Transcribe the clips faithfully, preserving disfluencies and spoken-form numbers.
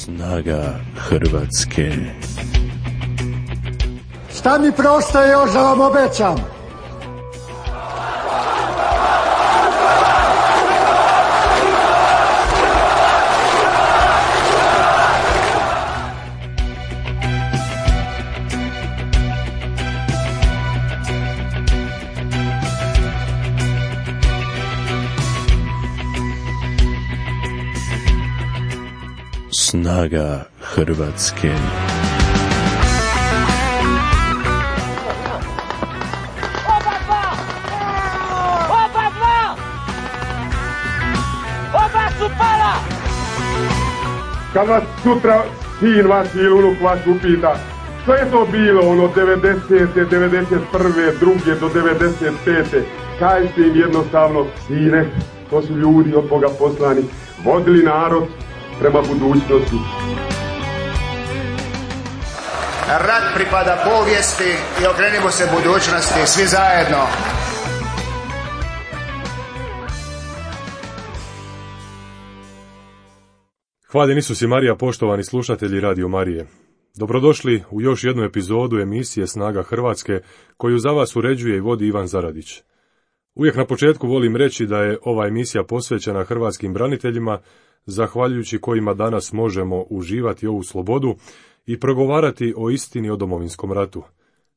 Snaga Hrvatske. Šta mi preostaje još da vam obećam? Snaga Hrvatske. Oba dva! Oba dva! Oba su pala! Kad vas sutra sin vaš ili unuk vaš upita što je to bilo ono devedesete, devedeset prve, druge do devedeset pete, kažite im jednostavno, sine, to su ljudi od Boga poslani, vodili narod prema budućnosti. Rat pripada povijesti i okrenimo se budućnosti, svi zajedno. Hvaljen Isus i Marija, poštovani slušatelji Radio Marije. Dobrodošli u još jednu epizodu emisije Snaga Hrvatske, koju za vas uređuje i vodi Ivan Zaradić. Uvijek na početku volim reći da je ova emisija posvećena hrvatskim braniteljima, zahvaljujući kojima danas možemo uživati ovu slobodu i progovarati o istini o Domovinskom ratu.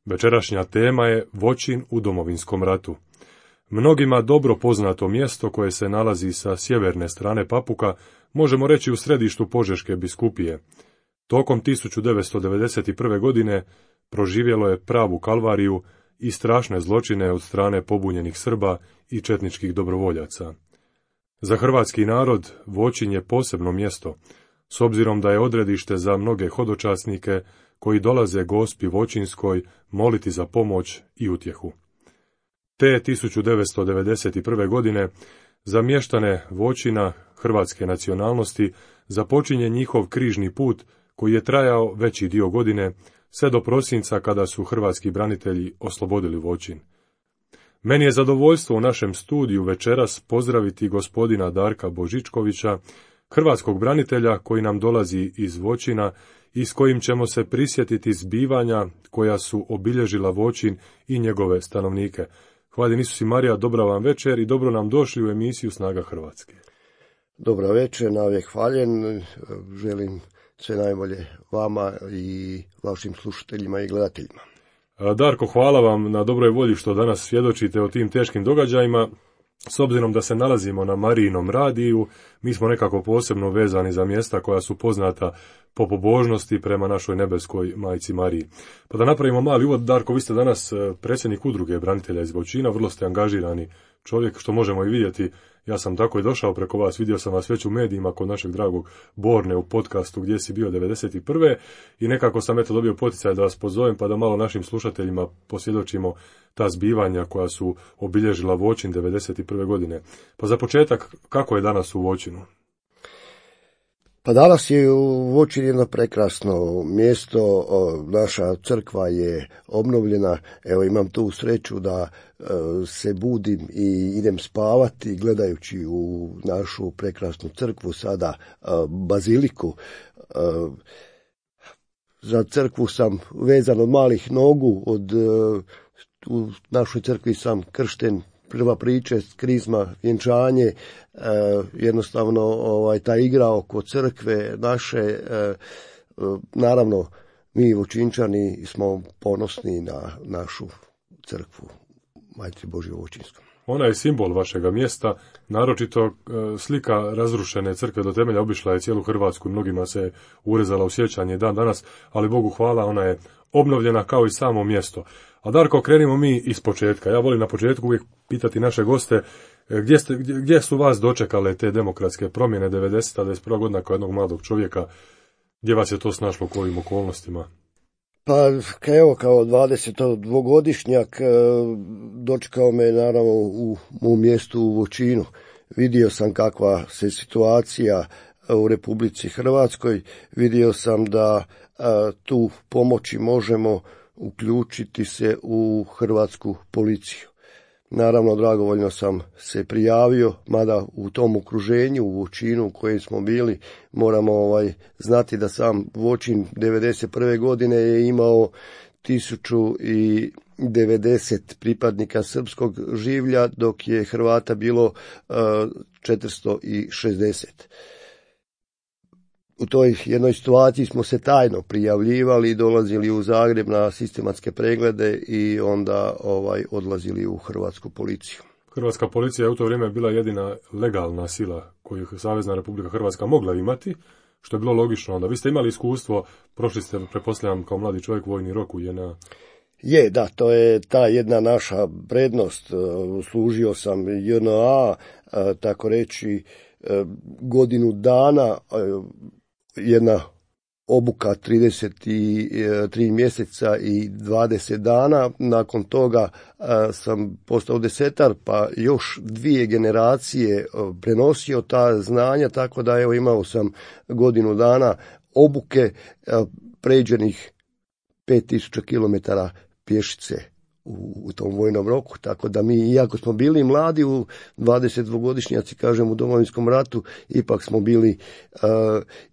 Večerašnja tema je Voćin u Domovinskom ratu. Mnogima dobro poznato mjesto koje se nalazi sa sjeverne strane Papuka, možemo reći u središtu Požeške biskupije. Tokom tisuću devetsto devedeset prve. godine proživjelo je pravu kalvariju i strašne zločine od strane pobunjenih Srba i četničkih dobrovoljaca. Za hrvatski narod Voćin je posebno mjesto, s obzirom da je odredište za mnoge hodočasnike koji dolaze Gospi Voćinskoj moliti za pomoć i utjehu. Te tisuću devetsto devedeset prve. godine za mještane Voćina hrvatske nacionalnosti započinje njihov križni put koji je trajao veći dio godine, sve do prosinca kada su hrvatski branitelji oslobodili Voćin. Meni je zadovoljstvo u našem studiju večeras pozdraviti gospodina Darka Božičkovića, hrvatskog branitelja koji nam dolazi iz Voćina i s kojim ćemo se prisjetiti zbivanja koja su obilježila Voćin i njegove stanovnike. Hvaljen Isus i Marija, dobra vam večer i dobro nam došli u emisiju Snaga Hrvatske. Dobra večer, navijek hvaljen, želim sve najbolje vama i vašim slušateljima i gledateljima. Darko, hvala vam na dobroj volji što danas svjedočite o tim teškim događajima. S obzirom da se nalazimo na Marijinom radiju, mi smo nekako posebno vezani za mjesta koja su poznata po pobožnosti prema našoj nebeskoj majci Mariji. Pa da napravimo mali uvod, Darko, vi ste danas predsjednik udruge branitelja iz Voćina, vrlo ste angažirani čovjek, što možemo i vidjeti. Ja sam tako i došao preko vas, vidio sam vas već u medijima kod našeg dragog Borne u podcastu gdje si bio devedeset prve. i nekako sam eto dobio poticaj da vas pozovem pa da malo našim slušateljima posvjedočimo ta zbivanja koja su obilježila Voćin devedeset prve. godine. Pa za početak, kako je danas u Voćinu? Pa danas je u Voćinu jedno prekrasno mjesto, naša crkva je obnovljena, evo imam tu sreću da se budim i idem spavati gledajući u našu prekrasnu crkvu, sada baziliku. Za crkvu sam vezan od malih nogu, od, u našoj crkvi sam kršten, prva priča, krizma, vjenčanje, eh, jednostavno ovaj, ta igra oko crkve naše, eh, naravno mi Voćinčani smo ponosni na našu crkvu Majci Božje Voćinskom. Ona je simbol vašega mjesta, naročito eh, slika razrušene crkve do temelja obišla je cijelu Hrvatsku, mnogima se urezala u sjećanje dan danas, ali Bogu hvala, ona je obnovljena kao i samo mjesto. A Darko, krenimo mi iz početka. Ja volim na početku uvijek pitati naše goste gdje, ste, gdje, gdje su vas dočekale te demokratske promjene devedeseta, devedeset prva. godina kao jednog mladog čovjeka, gdje vas je to snašlo u kojim okolnostima? Pa evo kao dvadesetodvogodišnjak dočekao me naravno u mom mjestu u Voćinu. Vidio sam kakva se situacija u Republici Hrvatskoj, vidio sam da a, tu pomoći možemo uključiti se u hrvatsku policiju. Naravno, dragovoljno sam se prijavio, mada u tom okruženju, u Voćinu u kojem smo bili, moramo ovaj, znati da sam Voćin devedeset prve godine je imao tisuću devedeset pripadnika srpskog življa, dok je Hrvata bilo uh, četiristo šezdeset. U toj jednoj situaciji smo se tajno prijavljivali, dolazili u Zagreb na sistematske preglede i onda ovaj odlazili u hrvatsku policiju. Hrvatska policija je u to vrijeme bila jedina legalna sila koju Savezna Republika Hrvatska mogla imati, što je bilo logično. Onda vi ste imali iskustvo, prošli ste, pretpostavljam, kao mladi čovjek vojni rok u J N A. Je, da, to je ta jedna naša prednost. Služio sam J N A, tako reći, godinu dana, jedna obuka trideset tri mjeseca i dvadeset dana. Nakon toga a, sam postao desetar, pa još dvije generacije a, prenosio ta znanja, tako da evo imao sam godinu dana obuke a, pređenih pet tisuća kilometara pješice u, u tom vojnom roku, tako da mi, iako smo bili mladi u dvadesetdvogodišnjaci, kažem, u Domovinskom ratu, ipak smo bili uh,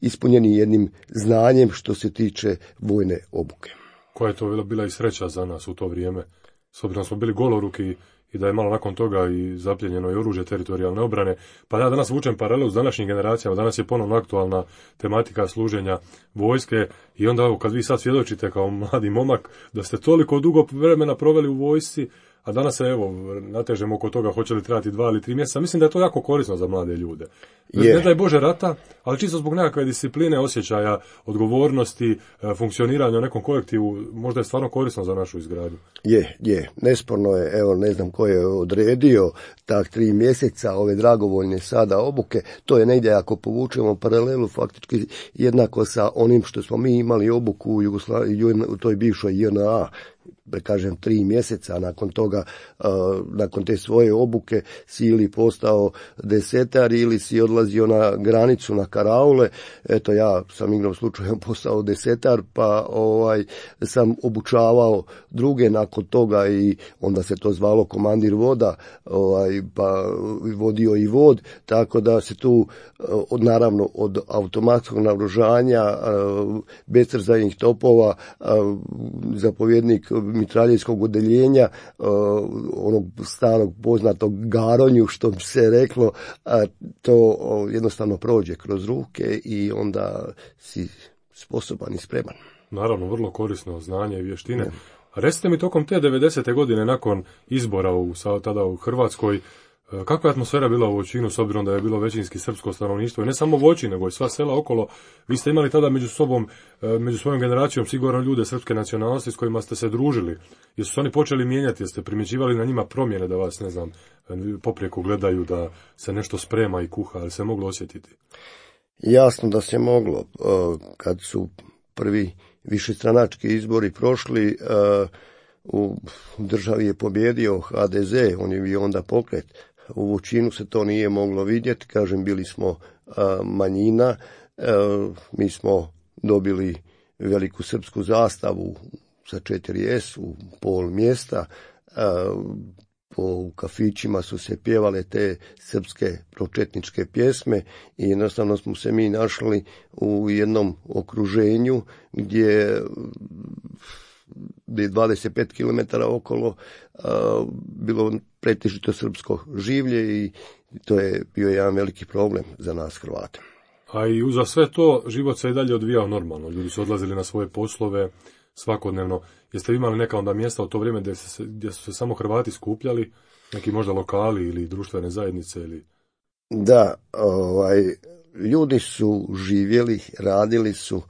ispunjeni jednim znanjem što se tiče vojne obuke. Koja je to bila, bila i sreća za nas u to vrijeme, s obzirom smo bili goloruki i da je malo nakon toga i zapljenjeno i oružje teritorijalne obrane. Pa ja danas vučem paralelu s današnjim generacijama, danas je ponovno aktualna tematika služenja vojske i onda evo, kad vi sad svjedočite kao mladi momak da ste toliko dugo vremena proveli u vojsci, a danas se evo natežemo oko toga hoće li trebati dva ili tri mjeseca, mislim da je to jako korisno za mlade ljude. Yeah. Ne daj Bože rata, ali čisto zbog nekakve discipline, osjećaja, odgovornosti, funkcioniranja u nekom kolektivu, možda je stvarno korisno za našu izgradnju. Je, je, nesporno je, evo ne znam ko je odredio tak tri mjeseca ove dragovoljne sada obuke, to je negdje ako povučemo paralelu faktički jednako sa onim što smo mi imali obuku u Jugoslaviji, u toj bivšoj J N A, da kažem tri mjeseca, nakon toga, uh, nakon te svoje obuke si ili postao desetar ili si odlazio na granicu na karaule. Eto, ja sam igrom slučajem postao desetar, pa ovaj sam obučavao druge nakon toga i onda se to zvalo komandir voda, ovaj, pa vodio i vod, tako da se tu od, naravno od automatskog naoružanja, uh, beztrzajnih topova, uh, zapovjednik mitraljejskog odeljenja, uh, onog starog poznatog garonju, što bi se reklo, a to uh, jednostavno prođe kroz ruke i onda si sposoban i spreman. Naravno, vrlo korisno znanje i vještine. A recite mi, tokom te devedesete godine nakon izbora u, tada u Hrvatskoj, kakva je atmosfera bila u Voćinu, s obzirom da je bilo većinski srpsko stanovništvo, i ne samo Voćin, nego i sva sela okolo? Vi ste imali tada među sobom, među svojom generacijom sigurno ljude srpske nacionalnosti s kojima ste se družili. Jesu se oni počeli mijenjati, jeste primjećivali na njima promjene, da vas, ne znam, poprijeko gledaju, da se nešto sprema i kuha, ali se moglo osjetiti? Jasno da se moglo. Kad su prvi višestranački izbori prošli, u državi je pobjedio H D Z, on je bio onda pokret. U Voćinu se to nije moglo vidjeti, kažem, bili smo a, manjina, a, mi smo dobili veliku srpsku zastavu sa četiri S u pol mjesta, a, po kafićima su se pjevale te srpske pročetničke pjesme i jednostavno smo se mi našli u jednom okruženju gdje gdje je dvadeset pet kilometara okolo a, bilo pretežito srpsko življe i to je bio jedan veliki problem za nas Hrvate. A i uza sve to život se i dalje odvijao normalno. Ljudi su odlazili na svoje poslove svakodnevno. Jeste vi imali neka onda mjesta u to vrijeme gdje, se, gdje su se samo Hrvati skupljali, neki možda lokali ili društvene zajednice? Ili... Da, ovaj, ljudi su živjeli, radili su,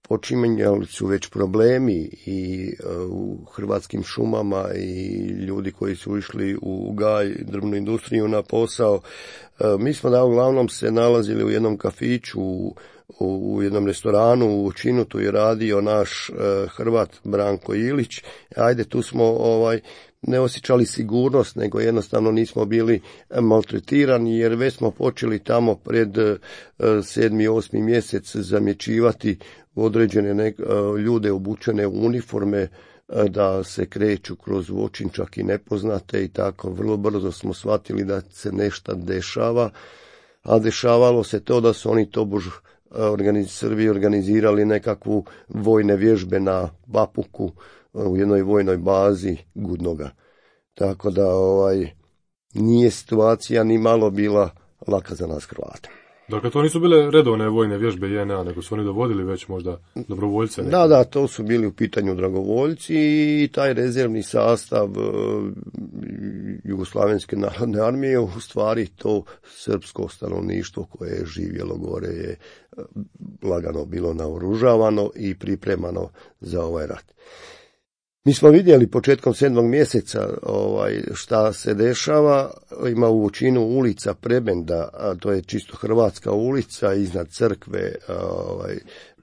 počinjali su već problemi i uh, u hrvatskim šumama i ljudi koji su išli u gaj, drvnu industriju na posao. Uh, mi smo da uglavnom se nalazili u jednom kafiću, u, u jednom restoranu u Voćinu, tu je radio naš uh, Hrvat Branko Ilić. Ajde, tu smo ovaj ne osjećali sigurnost, nego jednostavno nismo bili maltretirani, jer već smo počeli tamo pred uh, sedmi, osmi mjesec zamjećivati određene nek, uh, ljude obučene u uniforme da se kreću kroz Voćin, čak i nepoznate i tako. Vrlo brzo smo shvatili da se nešto dešava, a dešavalo se to da su oni tobož organiz, Srbi organizirali nekakvu vojne vježbe na Bapuku u jednoj vojnoj bazi Gudnoga. Tako da ovaj, nije situacija ni malo bila laka za nas Hrvate. Dakle, to nisu bile redovne vojne vježbe J N A, nego su oni dovodili već možda dobrovoljce? Neki. Da, da, to su bili u pitanju dragovoljci i taj rezervni sastav uh, Jugoslavenske narodne armije, u stvari to srpsko stanovništvo koje je živjelo gore je uh, lagano bilo naoružavano i pripremano za ovaj rat. Mi smo vidjeli početkom sedmog mjeseca ovaj, šta se dešava. Ima u Voćinu ulica Prebenda, a to je čisto hrvatska ulica, iznad crkve, ovaj,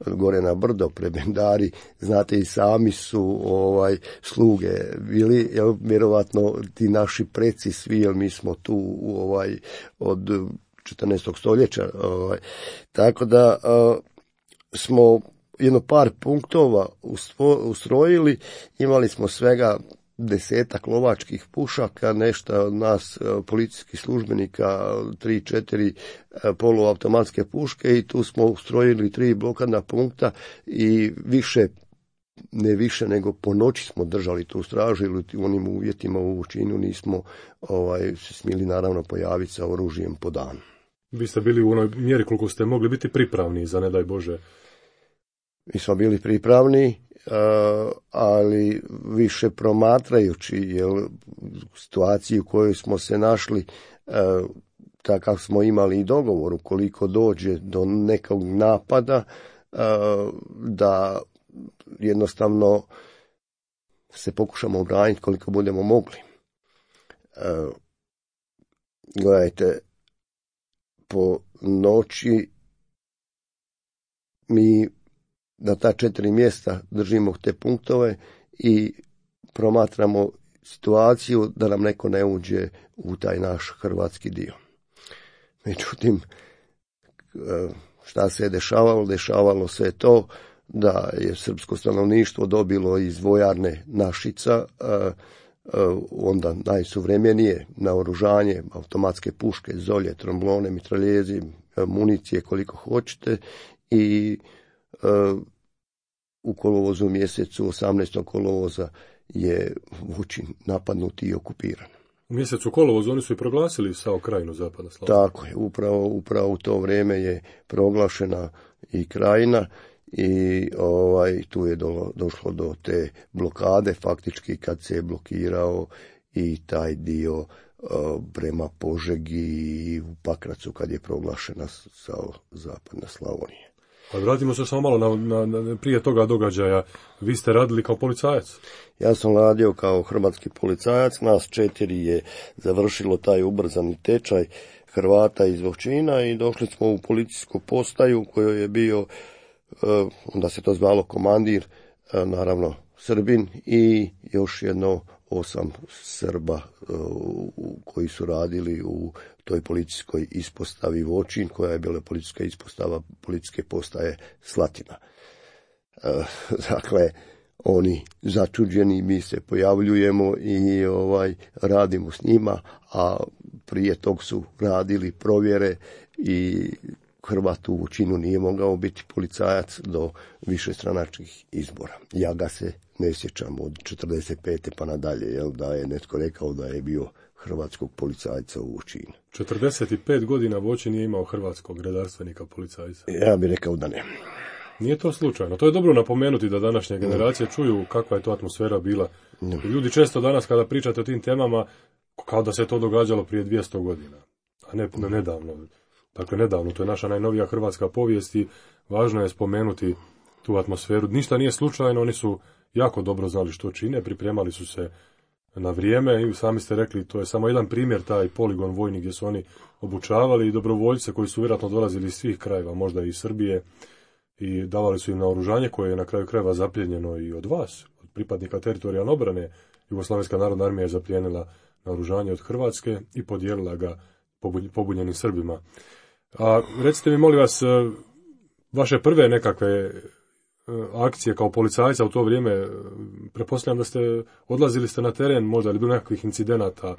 gore na brdo, prebendari, znate i sami su ovaj, sluge bili, jel, vjerovatno ti naši preci svi, jer mi smo tu ovaj, od četrnaestog stoljeća. Ovaj, tako da a, smo jedno par punktova ustrojili, imali smo svega desetak lovačkih pušaka, nešto od nas policijskih službenika, tri, četiri poluautomatske puške i tu smo ustrojili tri blokadna punkta i više, ne više nego po noći smo držali tu stražu ili u onim uvjetima u Voćinu nismo ovaj, se smjeli naravno pojaviti sa oružjem po danu. Vi ste bili u onoj mjeri koliko ste mogli biti pripravni za ne daj Bože. Mi smo bili pripravni, ali više promatrajući jer situaciju u kojoj smo se našli, takav smo imali i dogovor, ukoliko dođe do nekog napada, da jednostavno se pokušamo obraniti koliko budemo mogli. Gledajte, po noći mi na ta četiri mjesta držimo te punktove i promatramo situaciju da nam neko ne uđe u taj naš hrvatski dio. Međutim, šta se je dešavalo? Dešavalo se je to da je srpsko stanovništvo dobilo iz vojarne Našica, onda najsuvremenije naoružanje, automatske puške, zolje, tromblone, mitraljezi, municije koliko hoćete i u kolovozu mjesecu, osamnaestog kolovoza je Voćin napadnut i okupiran. U mjesecu kolovozu oni su i proglasili SAO Krajinu Zapadna Slavonija. Tako je, upravo, upravo u to vrijeme je proglašena i Krajina i ovaj, tu je do, došlo do te blokade, faktički kad se je blokirao i taj dio uh, prema Požegi i u Pakracu kad je proglašena SAO Zapadna Slavonija. Pa vratimo se samo malo na, na, na, prije toga događaja. Vi ste radili kao policajac? Ja sam radio kao hrvatski policajac. Nas četiri je završilo taj ubrzani tečaj Hrvata iz Voćina i došli smo u policijsku postaju u kojoj je bio, onda se to zvalo komandir, naravno Srbin i još jedno osam Srba koji su radili u toj policijskoj ispostavi Voćin, koja je bila policijska ispostava policijske postaje Slatina. Dakle, oni začuđeni, mi se pojavljujemo i ovaj radimo s njima, a prije tog su radili provjere i Hrvat u Voćinu nije mogao biti policajac do višestranačkih izbora. Ja ga se ne sjećam od četrdeset pete pa nadalje, jel, da je netko rekao da je bio hrvatskog policajca u Voćinu. četrdeset pet godina Voćin nije imao hrvatskog redarstvenika policajca. Ja bih rekao da ne. Nije to slučajno. To je dobro napomenuti da današnje generacije čuju kakva je to atmosfera bila. Ljudi često danas kada pričate o tim temama, kao da se to događalo prije dvjesto godina, a ne, ne nedavno. Dakle, nedavno, to je naša najnovija hrvatska povijest i važno je spomenuti tu atmosferu. Ništa nije slučajno, oni su jako dobro znali što čine, pripremali su se na vrijeme i sami ste rekli, to je samo jedan primjer, taj poligon vojni gdje su oni obučavali i dobrovoljce koji su vjerojatno dolazili iz svih krajeva, možda i iz Srbije, i davali su im naoružanje koje je na kraju krajeva zapljenjeno i od vas, od pripadnika teritorijalne obrane. Jugoslavenska narodna armija je zapljenila naoružanje od Hrvatske i podijelila ga pobunjenim Srbima. A recite mi, molim vas, vaše prve nekakve akcije kao policajca u to vrijeme, pretpostavljam da ste odlazili ste na teren, možda li bilo nekakvih incidenata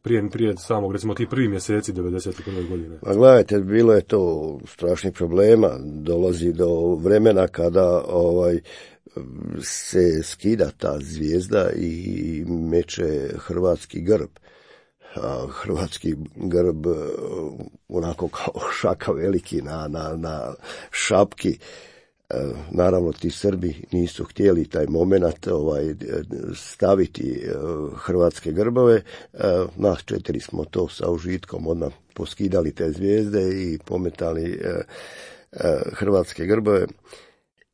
prije, prije samog, recimo, ti prvi mjeseci devedeset prve godine? Pa gledajte, bilo je to strašnih problema, dolazi do vremena kada ovaj se skida ta zvijezda i meče hrvatski grb. A hrvatski grb onako kao šaka veliki na, na, na šapki. Naravno, ti Srbi nisu htjeli taj moment ovaj, staviti hrvatske grbove. Nas četiri smo to sa užitkom odmah poskidali te zvijezde i pometali hrvatske grbove.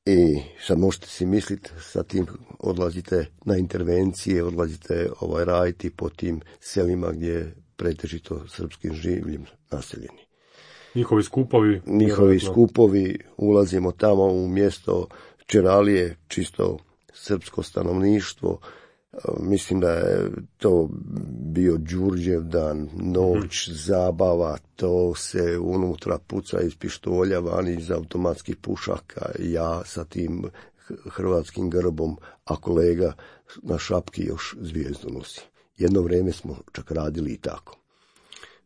I sad možete si misliti, sa tim odlazite na intervencije, odlazite ovaj, raditi po tim selima gdje je pretežito srpskim življem naseljeni. Njihovi skupovi? Njihovi vjerojatno. skupovi, ulazimo tamo u mjesto Čeralije, čisto srpsko stanovništvo. Mislim da je to bio Đurđev dan, noć, mm-hmm. zabava, to se unutra puca iz pištolja, vani iz automatskih pušaka, ja sa tim hrvatskim grbom, a kolega na šapki još zvijezdu nosi. Jedno vrijeme smo čak radili i tako.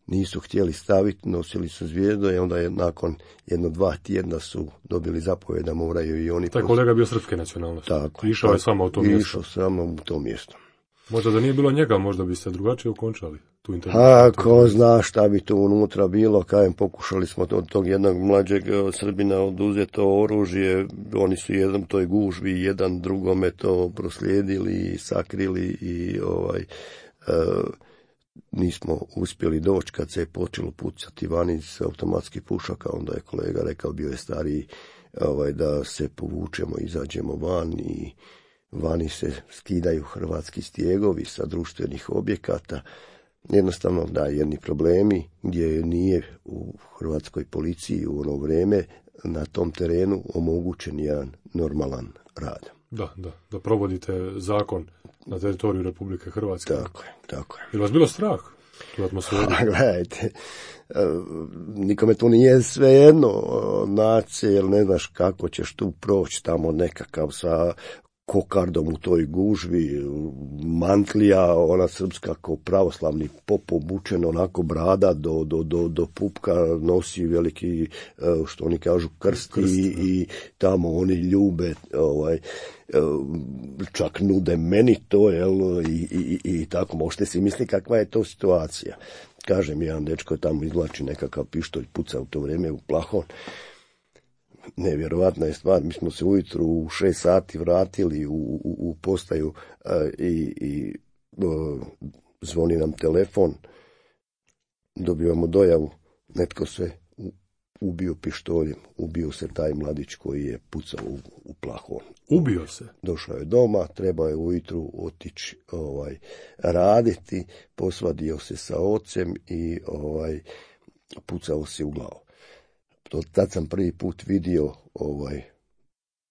Nisu htjeli staviti, nosili su zvijezdu i onda je nakon jedno dva tjedna su dobili zapovjed da moraju i oni... Taj kolega bio srpske nacionalnosti. Tako. Išao tako, je samo u to mjesto. Išao samo u to mjesto. Možda da nije bilo njega, možda biste drugačije okončali tu intervenciju. A, ko zna šta bi tu unutra bilo, kajem pokušali smo od tog jednog mlađeg Srbina oduzeti to oružje, oni su jedan toj gužvi, jedan drugome to proslijedili i sakrili i ovaj... Uh, nismo uspjeli doći kad se je počelo pucati vani iz automatskih pušaka, onda je kolega rekao, bio je stariji, ovaj, da se povučemo, izađemo van i vani se skidaju hrvatski stjegovi sa društvenih objekata. Jednostavno, da, jedni problemi gdje nije u hrvatskoj policiji u ono vrijeme na tom terenu omogućen jedan normalan rad. Da, da, da provodite zakon na teritoriju Republike Hrvatske. Tako je, tako je. Je li vas bilo strah tu atmosferu? Gledajte, nikome tu nije svejedno naći, jer ne znaš kako ćeš tu proći tamo nekakav sa kokardom u toj gužvi, mantlija, ona srpska ko pravoslavni pop obučen, onako brada do, do, do, do pupka, nosi veliki, što oni kažu, krst, krst i, i tamo oni ljube, ovaj, čak nude meni to, jel, i, i, i tako, možete si misliti kakva je to situacija. Kažem, jedan dečko tamo izvlači nekakav pištolj, puca u to vrijeme u plahon. Nevjerovatna je stvar, mi smo se ujutru u šest sati vratili u, u, u postaju uh, i, i uh, zvoni nam telefon, dobivamo dojavu, netko se u, ubio pištoljem, ubio se taj mladić koji je pucao u, u plahon. Ubio se? Došao je doma, trebao je ujutru otići ovaj, raditi, posvadio se sa ocem i ovaj, pucao se u glavu. Tad sam prvi put vidio ovaj,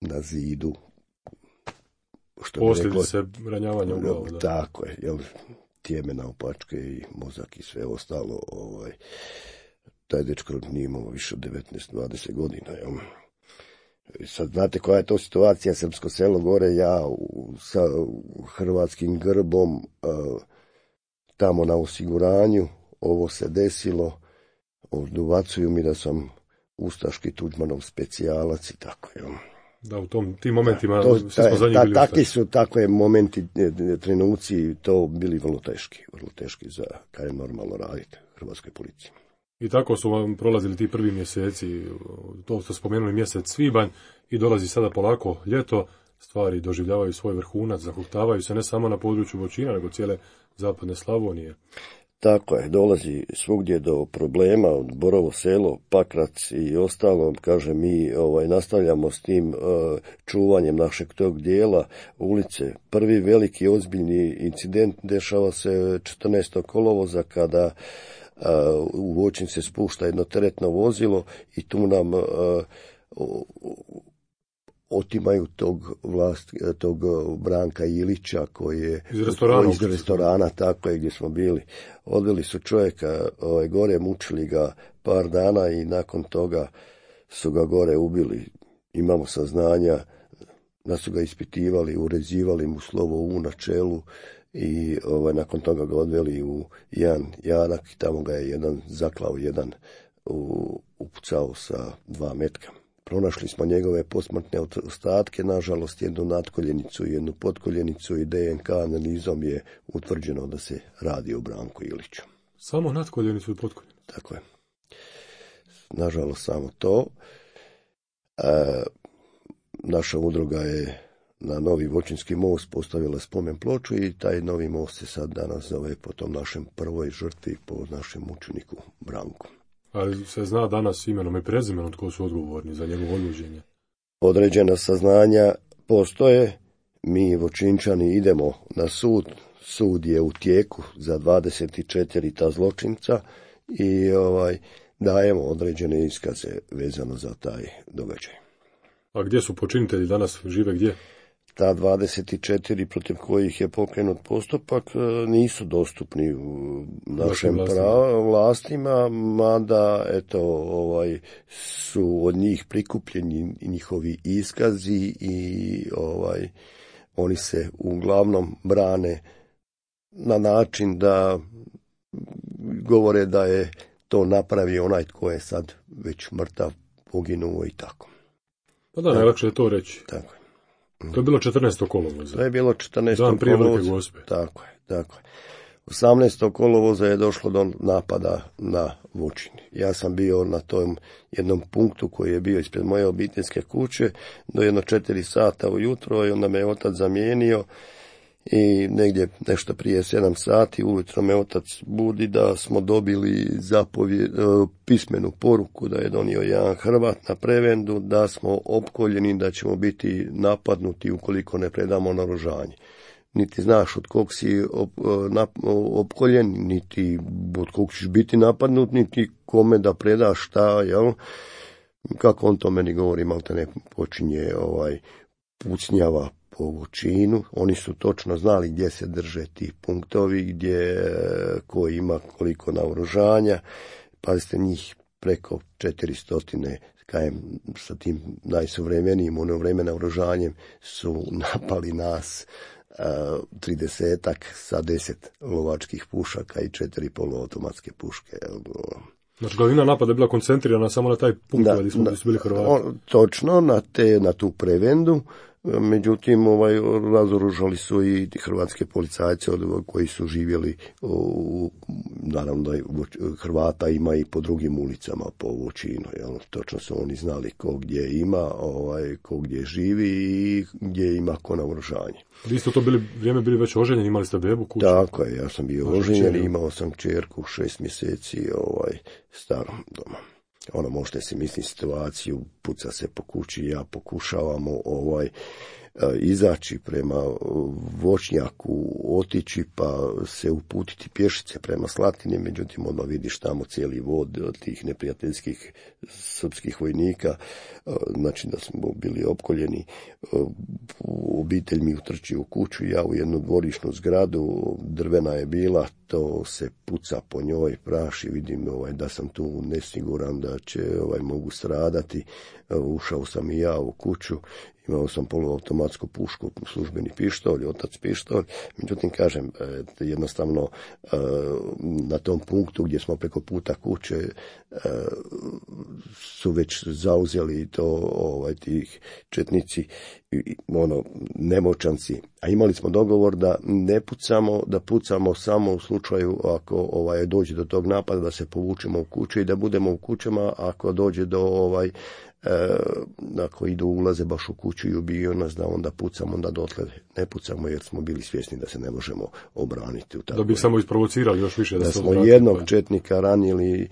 na zidu što posljedice ranjavanja u glavu. Da. Tako je, jel, tijeme naopačke i mozak i sve ostalo. Ovaj, taj dečko nije imao više od devetnaest dvadeset godina. Jel. Sad znate koja je to situacija, srpsko selo gore, ja u, sa hrvatskim grbom uh, tamo na osiguranju, ovo se desilo, ubacuju mi da sam ustaški Tuđmanov specijalac i tako, jel? Da, u tom, tim momentima to, svi smo za njih ta, bili takvi su, takve momenti, trenuci, to bili vrlo teški, vrlo teški za kaj je normalno raditi hrvatskoj policiji. I tako su vam prolazili ti prvi mjeseci, to ste spomenuli mjesec svibanj i dolazi sada polako ljeto, stvari doživljavaju svoj vrhunac, zahuktavaju se ne samo na području Voćina, nego cijele zapadne Slavonije. Tako je, dolazi svugdje do problema, Borovo selo, Pakrac i ostalo, kaže mi ovaj, nastavljamo s tim uh, čuvanjem našeg tog dijela ulice. Prvi veliki ozbiljni incident dešava se četrnaestog kolovoza kada uh, u Voćin se spušta jedno teretno vozilo i tu nam uh, otimaju tog vlast, tog Branka Ilića koji je iz restorana, iz restorana tako je gdje smo bili. Odveli su čovjeka ovaj, gore, mučili ga par dana i nakon toga su ga gore ubili. imamo saznanja da su ga ispitivali, uređivali mu slovo U na čelu i ovaj, nakon toga ga odveli u jedan jarak i tamo ga je jedan zaklao, jedan u, upucao sa dva metka. Pronašli smo njegove posmrtne ostatke, nažalost jednu natkoljenicu i jednu potkoljenicu i D N K analizom je utvrđeno da se radi o Branku Iliću. Samo natkoljenicu i potkoljenicu? Tako je. Nažalost samo to. E, naša udruga je na Novi Voćinski most postavila spomen ploču i taj novi most se sad danas zove po tom našem prvoj žrtvi, po našem mučeniku Branku. Ali se zna danas imenom i prezimenom tko su odgovorni za njegovo odvođenje? Određena saznanja postoje, mi Voćinčani idemo na sud, sud je u tijeku za dvadeset četiri ta zločinca i ovaj, dajemo određene iskaze vezano za taj događaj. A gdje su počinitelji danas, žive gdje? Ta dvadeset četiri protiv kojih je pokrenut postupak nisu dostupni u našim vlastima. vlastima, mada eto, ovaj, su od njih prikupljeni njihovi iskazi i ovaj, oni se uglavnom brane na način da govore da je to napravio onaj tko je sad već mrtav, poginuo i tako. Pa da, najlakše je to reći. Tako je. To je bilo četrnaestog kolovoza. To je bilo četrnaestog Dan prije kolovoza. Velike Gospe. Tako je, tako je. osamnaestog kolovoza je došlo do napada na Vučin. Ja sam bio na tom jednom punktu koji je bio ispred moje obiteljske kuće do jedno četiri sata ujutro i onda me je otac zamijenio i negdje nešto prije sedam sati ujutro me otac budi da smo dobili zapovjed, pismenu poruku da je donio jedan Hrvat na prevendu, da smo opkoljeni, da ćemo biti napadnuti ukoliko ne predamo naoružanje. Niti znaš od kog si op, nap, opkoljen, niti od kog ćeš biti napadnut, niti kome da predaš šta, jel? Kako on to meni govori, malo te ne počinje ovaj, pucnjava po Vučinu. Oni su točno znali gdje se drže ti punktovi, gdje ko ima koliko naoružanja. Pazite, njih preko četiristo, kajem, sa tim najsuvremenijim ono vreme naoružanjem su napali nas tridesetak sa deset lovačkih pušaka i četiri poluautomatske puške. Znači, glavnina napada je bila koncentrirana samo na taj punkt da, gdje, smo, gdje su bili Hrvati. On, točno, na, te, na tu prevendu. Međutim, ovaj, razoružali su i hrvatske policajce od, koji su živjeli, u, naravno da Hrvata ima i po drugim ulicama po Vučinu. Jel? Točno su oni znali ko gdje ima, ovaj, ko gdje živi i gdje ima ko naoružanje. Vi ste to bili, vrijeme bili već oženjeni, imali ste bebu kuću? Tako je, ja sam bio oženjen i imao sam kćerku šest mjeseci ovaj, starom doma. Ono, možete si misliti situaciju, puca se po kući, ja pokušavamo ovaj, izaći prema voćnjaku, otići pa se uputiti pješice prema Slatini, međutim odmah vidiš tamo cijeli vod od tih neprijateljskih srpskih vojnika, znači da smo bili opkoljeni, obitelj mi utrči u kuću, ja u jednu dvorišnu zgradu, drvena je bila, to se puca po njoj, praši, vidim ovaj, da sam tu nesiguran da će ovaj, mogu stradati, ušao sam i ja u kuću, imao sam poluautomatsku pušku, službeni pištolj, otac pištolj, međutim, kažem, jednostavno na tom punktu gdje smo preko puta kuće su već zauzeli to ovaj, tih četnici, ono, nemoćanci, a imali smo dogovor da ne pucamo, da pucamo samo u slučaju ako ovaj, dođe do tog napada, da se povučemo u kuće i da budemo u kućama ako dođe do ovaj, E, ako idu ulaze baš u kuću i ubiju nas, da onda pucamo, onda dotle ne pucamo jer smo bili svjesni da se ne možemo obraniti. U da bi samo isprovocirali još više. Da, da se smo jednog pa... četnika ranili, e,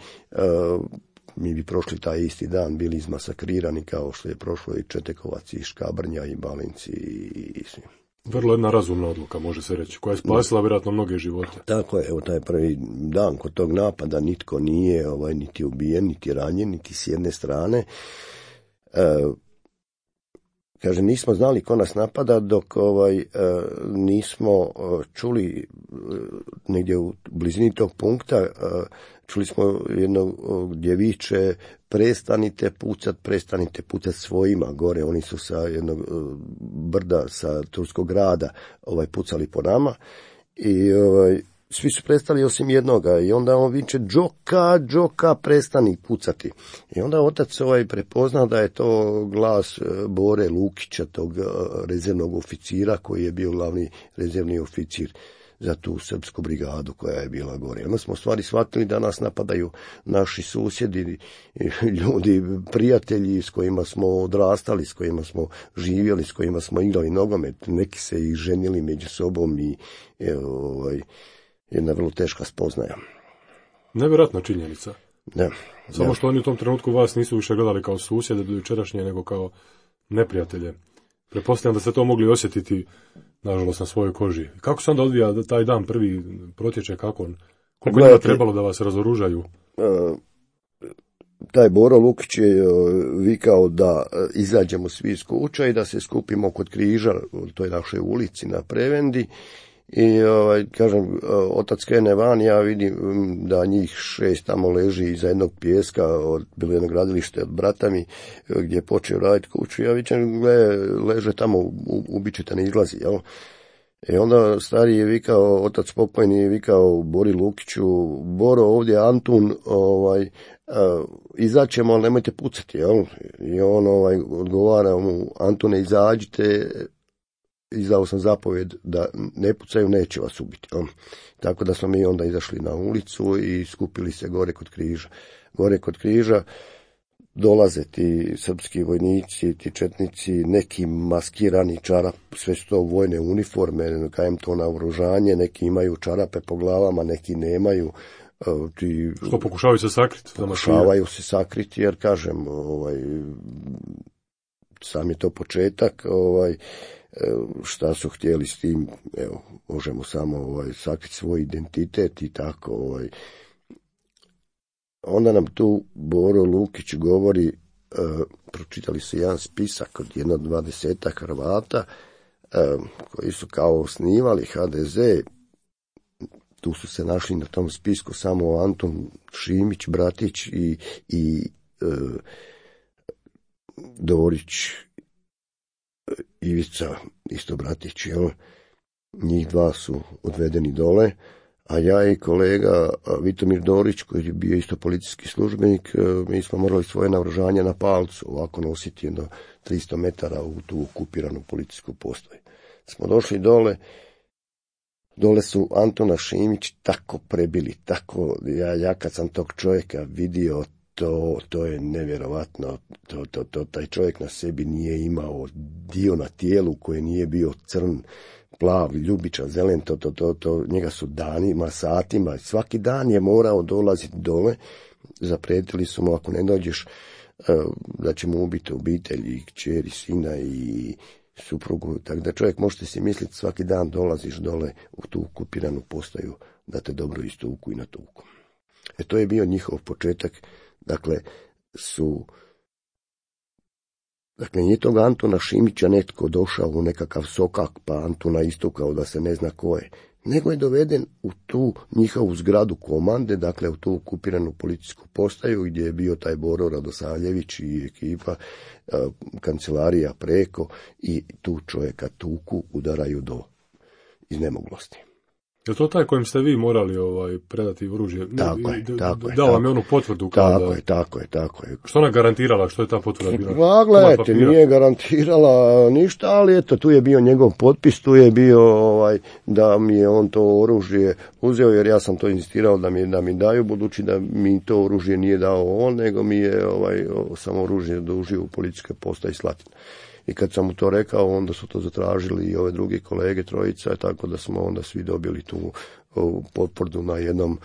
mi bi prošli taj isti dan bili izmasakrirani kao što je prošlo i Četekovac i Škabrnja i Balinci i, i svi. Vrlo jedna razumna odluka, može se reći, koja je spasila vjerojatno mnoge živote. Tako je, evo taj prvi dan kod tog napada nitko nije ovaj, niti ubijen, niti ranjen, niti s jedne strane. E, kaže, nismo znali ko nas napada dok ovaj, nismo čuli negdje u blizini tog punkta, čuli smo jedno gdje viče prestanite pucat, prestanite pucat svojima gore. Oni su sa jednog brda, sa Turskog grada ovaj, pucali po nama i ovaj, svi su prestali osim jednoga i onda on viče Džoka, Džoka, prestani pucati. I onda otac ovaj prepoznao da je to glas Bore Lukića, tog rezervnog oficira koji je bio glavni rezervni oficir za tu srpsku brigadu koja je bila gore. Onda smo u stvari shvatili da nas napadaju naši susjedi, ljudi, prijatelji s kojima smo odrastali, s kojima smo živjeli, s kojima smo igrali nogomet. Neki se i ženili među sobom i evo, ovaj, jedna vrlo teška spoznaja. Nevjerojatna činjenica. Da. Samo da. što oni u tom trenutku vas nisu više gledali kao susjede do jučerašnje, nego kao neprijatelje. Pretpostavljam da ste to mogli osjetiti, nažalost, na svojoj koži. Kako se onda odvija taj dan prvi protječe, kako on? Koliko je trebalo da vas razoružaju? Uh, taj Boro Lukić je uh, vikao da uh, izađemo svi iz kuća i da se skupimo kod križa u toj našoj ulici na Prevendi. I ovaj, kažem, otac krene van, ja vidim da njih šest tamo leži iza jednog pijeska, od, bilo jedno gradilište od brata mi, gdje je počeo raditi kuću. Ja vidim, gle, leže tamo, ubičite, ne izlazi, jel? I onda stari je vikao, otac pokojni je vikao Bori Lukiću, Boro, ovdje je Antun, ovaj, izaćemo, ali nemojte pucati, jel? I on ovaj, odgovara mu, Antune, izađite, izdao sam zapovjed da ne pucaju, neće vas ubiti. Ja. Tako da smo mi onda izašli na ulicu i skupili se gore kod križa. Gore kod križa dolaze ti srpski vojnici, ti četnici, neki maskirani čarap, sve su to vojne uniforme, kajem to naoružanje, neki imaju čarape po glavama, neki nemaju. Ti, što pokušavaju se sakriti? Pokušavaju se sakriti, jer kažem, ovaj, sam je to početak, ovaj, šta su htjeli s tim, evo, možemo samo ovaj, sakriti svoj identitet i tako. Ovaj. Onda nam tu Boro Lukić govori, e, pročitali su jedan spisak od jedno dvadesetak Hrvata e, koji su kao osnivali ha de ze. Tu su se našli na tom spisku samo Anton Šimić, Bratić i, i e, Dorić, Ivica, isto Bratić, jel? Njih dva su odvedeni dole, a ja i kolega Vitomir Dorić, koji je bio isto policijski službenik, mi smo morali svoje naoružanje na palcu, ovako nositi jedno tristo metara u tu okupiranu policijsku postaju. Smo došli dole, dole su Antona Šimić tako prebili, tako, ja, ja kad sam tog čovjeka vidio, To, to je nevjerovatno, to, to, to, taj čovjek na sebi nije imao dio na tijelu koji nije bio crn, plav, ljubičan, zelen, to, to, to, to, njega su danima, satima, svaki dan je morao dolaziti dole, zaprijetili su mu ako ne dođeš da će mu ubiti obitelj i kćeri, sina i suprugu, tako da čovjek možete si misliti svaki dan dolaziš dole u tu okupiranu postaju da te dobro istuku i natuku. E to je bio njihov početak. Dakle, su, dakle, nije toga Antona Šimića netko došao u nekakav sokak, pa Antona istukao da se ne zna ko je, nego je doveden u tu njihovu zgradu komande, dakle, u tu okupiranu policijsku postaju, gdje je bio taj Boro Radosavljević i ekipa, kancelarija preko, i tu čovjeka tuku, udaraju do iznemoglosti. Je to taj kojim ste vi morali ovaj, predati oružje? Tako je, tako je. Dao vam je onu potvrdu? Kada... Tako je, tako je, tako je. Što ona garantirala? Što je ta potvrda bila? Pa, gledajte, nije garantirala ništa, ali eto, tu je bio njegov potpis, tu je bio ovaj, da mi je on to oružje uzeo, jer ja sam to insistirao da mi, da mi daju, budući da mi to oružje nije dao on, nego mi je ovaj, samo oružje dužio u policijskoj postaji Slatina. I kad sam mu to rekao, onda su to zatražili i ove drugi kolege, trojica, tako da smo onda svi dobili tu potvrdu na jednom,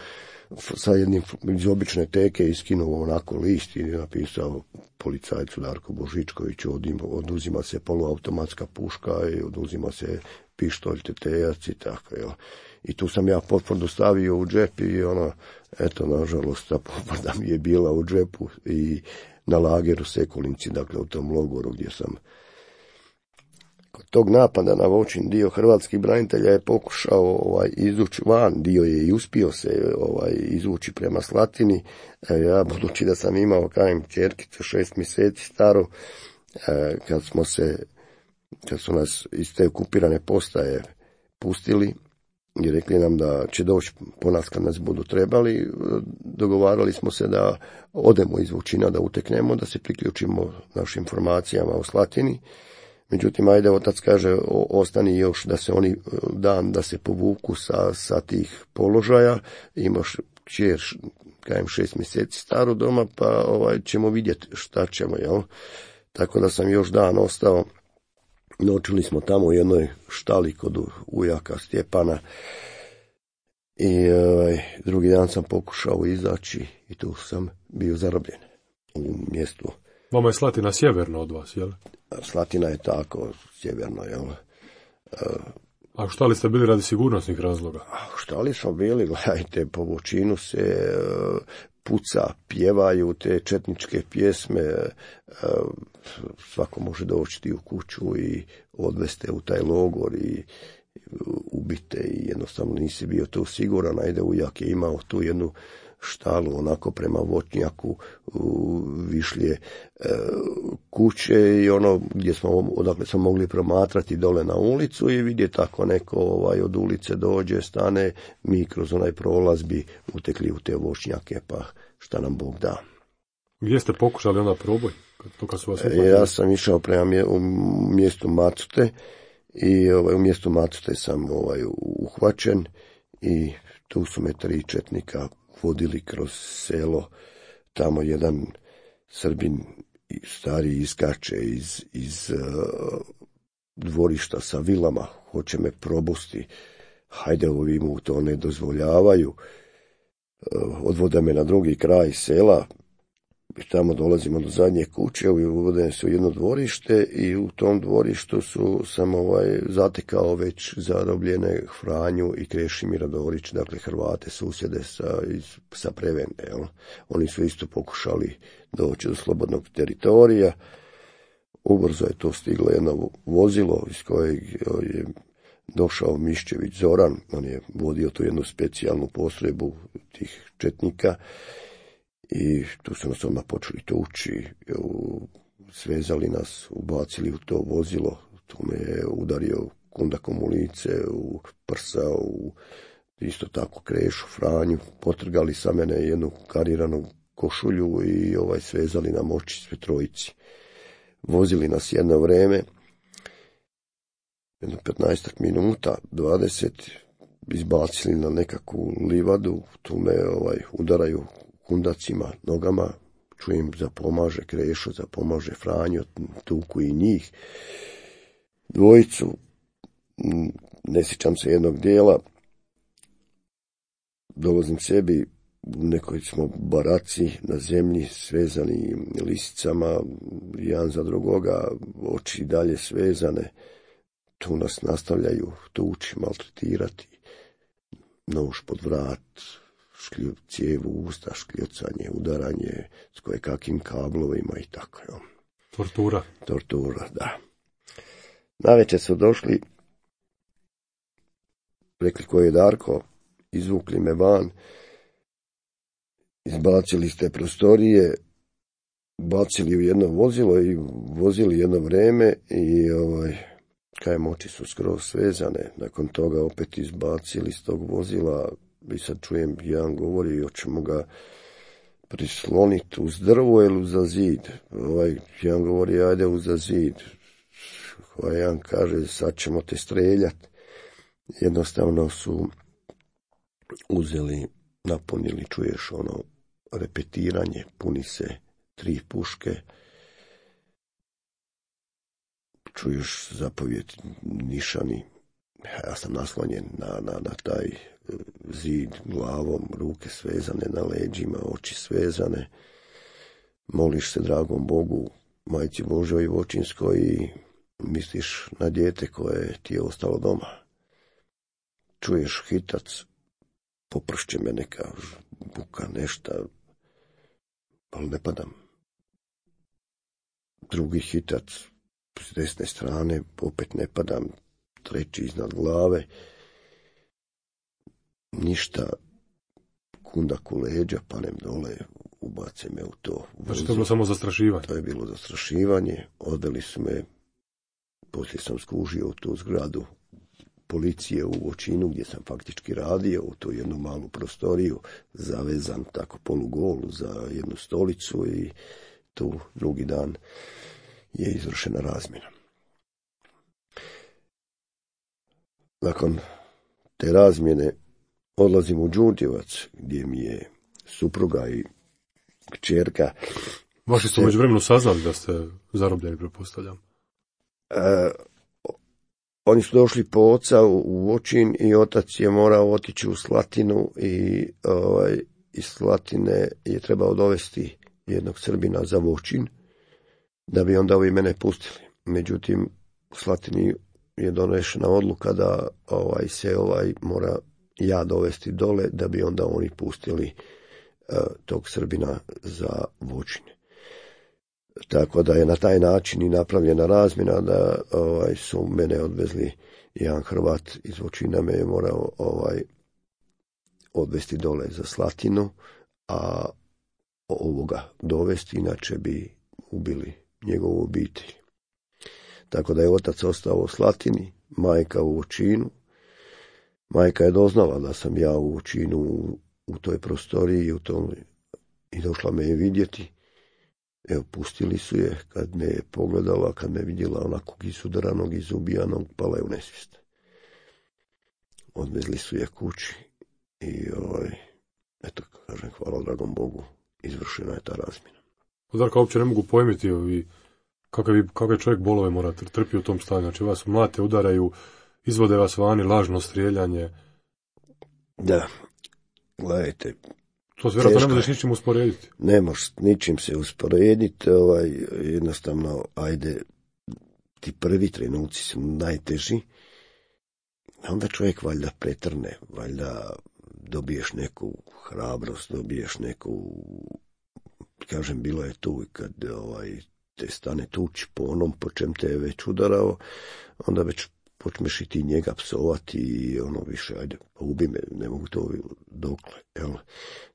sa jednim iz obične teke iskinuo onako list i napisao policajcu Darko Božičkoviću, oduzima se poluautomatska puška i oduzima se pištolj, tetejac i tako, jel. I tu sam ja potvrdu stavio u džep i ono, eto, nažalost, ta potvrda mi je bila u džepu i na lageru Sekulinci, dakle u tom logoru gdje sam Kod tog napada na Voćin dio hrvatskih branitelja je pokušao ovaj, izvući van, dio je i uspio se ovaj, izvući prema Slatini. E, ja, budući da sam imao, kajem, čerkicu šest mjeseci staru, e, kad smo se, kad su nas iz te okupirane postaje pustili i rekli nam da će doći po nas kad nas budu trebali, dogovarali smo se da odemo iz Vučina, da uteknemo, da se priključimo našim informacijama o Slatini. Međutim, ajde, otac kaže, o, ostani još da se oni dan, da se povuku sa, sa tih položaja, imaš kćer, kajem, šest mjeseci staru doma, pa ovaj, ćemo vidjeti šta ćemo, jel? Tako da sam još dan ostao, noćili smo tamo u jednoj štali kod ujaka Stjepana i ovaj, drugi dan sam pokušao izaći i tu sam bio zarobljen u mjestu. Vama je Slatina sjeverno od vas, jel? Slatina je tako, sjeverno, jel? A šta li ste bili radi sigurnosnih razloga? Šta li smo bili, gledajte, po Voćinu se puca, pjevaju te četničke pjesme, svako može doći u kuću i odveste u taj logor i ubite i jednostavno nisi bio tu siguran, ajde, ujak je imao tu jednu štalu onako prema Voćnjaku, višlje e, kuće i ono gdje smo, odakle smo mogli promatrati dole na ulicu i vidjeti tako neko ovaj, od ulice dođe, stane, mi kroz onaj prolaz bi utekli u te Voćnjake, pa šta nam Bog da. Gdje ste pokušali onda proboj? To kad su vas e, ja sam išao prema mje, u mjestu Macute i ovaj, u mjestu Macute sam ovaj, uhvaćen i tu su me tri četnika vodili kroz selo, tamo jedan Srbin stari iskače iz, iz uh, dvorišta sa vilama, hoće me probusti, hajde, ovi mu to ne dozvoljavaju, uh, odvode me na drugi kraj sela, tamo dolazimo do zadnje kuće, uvode se u jedno dvorište i u tom dvorištu su sam ovaj, zatekao već zarobljene Franju i Krešimira Dorić, dakle Hrvate, susjede sa, iz, sa Prevende. Jel? Oni su isto pokušali doći do slobodnog teritorija. Ubrzo je to stiglo jedno vozilo iz kojeg je došao Miščević Zoran, on je vodio tu jednu specijalnu postrojbu tih četnika. I tu su nas odmah počeli tući, svezali nas, ubacili u to vozilo, tu me je udario kundakom u lice, u prsa, u isto tako Krešu, Franju, potrgali sa mene jednu kariranu košulju i ovaj svezali nam oči sve trojici. Vozili nas jedno vreme, jedno petnaestak minuta, dvadeset, izbacili na nekakvu livadu, tu me ovaj, udaraju kundacima, nogama, čujem zapomaže Krešo, zapomaže Franjo, tuku i njih. Dvojicu, ne sjećam se jednog dijela, dolazim sebi, u nekoj smo baraci na zemlji, svezani lisicama, jedan za drugoga, oči dalje svezane, tu nas nastavljaju tući, maltretirati, nož pod vrat, šklju, cijevu usta, škljocanje, udaranje s koje kakvim kablovima i tako. Jo. Tortura. Tortura, da. Navečer su došli, rekli ko je Darko, izvukli me van, izbacili ste prostorije, bacili u jedno vozilo i vozili jedno vreme i ovaj, kajem, oči su skroz svezane, nakon toga opet izbacili iz tog vozila. I sad čujem, jedan govori, hoćemo ga prisloniti uz drvo ili uza zid. Ovaj, jedan govori, ajde uza zid. Ovaj, jedan kaže, sad ćemo te streljati. Jednostavno su uzeli, napunili, čuješ ono, repetiranje, puni se tri puške. Čuješ zapovjed nišani. Ja sam naslonjen na, na, na taj zid glavom, ruke svezane na leđima, oči svezane. Moliš se dragom Bogu, Majci Božoj Voćinskoj i misliš na dijete koje ti je ostalo doma. Čuješ hitac, popršće me neka buka, nešta, ali ne padam. Drugi hitac, s desne strane, opet ne padam, treći iznad glave, ništa, kundak u leđa, panem dole, ubace me u to. Znači to je bilo samo zastrašivanje? To je bilo zastrašivanje, odveli su me, poslije sam skužio u tu zgradu policije u Voćinu gdje sam faktički radio, u tu jednu malu prostoriju, zavezan tako polugol za jednu stolicu i tu drugi dan je izvršena razmjena. Nakon te razmjene odlazim u Đurđevac gdje mi je supruga i kćerka. Vaši su među vremenu saznali da ste zarobljeni, pretpostavljam. E, oni su došli po oca u, u Voćin i otac je morao otići u Slatinu i ovaj, iz Slatine je trebao dovesti jednog Srbina za Voćin da bi onda ovi mene pustili. Međutim, u Slatini je donešena odluka da ovaj, se ovaj mora ja dovesti dole da bi onda oni pustili uh, tog Srbina za Voćin. Tako da je na taj način i napravljena razmjena da ovaj, su mene odvezli, jedan Hrvat iz Voćina me je morao ovaj, odvesti dole za Slatinu, a ovoga dovesti, inače bi ubili njegovu obitelj. Tako da je otac ostao u Slatini, majka u Voćinu. Majka je doznala da sam ja u Voćinu u, u toj prostoriji u tom, i došla me je vidjeti. Evo, pustili su je, kad me je pogledala, kad me vidjela onakog izudaranog, izubijanog, pala je u nesvijest. Odvezli su je kući i ovaj, eto, kažem, hvala dragom Bogu, izvršena je ta razmjena. Darka, uopće ne mogu pojmiti ovi, kakve, kakve čovjek bolove mora trpi u tom stanju. Znači, vas mlate, udaraju, izvode vas vani, lažno strijeljanje. Da, gledajte. To se vjerojatno ne možeš ničim usporediti. Ne možeš ničim se usporediti, ovaj, jednostavno, ajde, ti prvi trenuci su najteži, onda čovjek valjda pretrne, valjda dobiješ neku hrabrost, dobiješ neku, kažem, bilo je tu kad ovaj, te stane tuć po onom po čem te je već udarao, onda već počneš i ti njega psovati i ono više, ajde, ubi me, ne mogu to dokle, jel?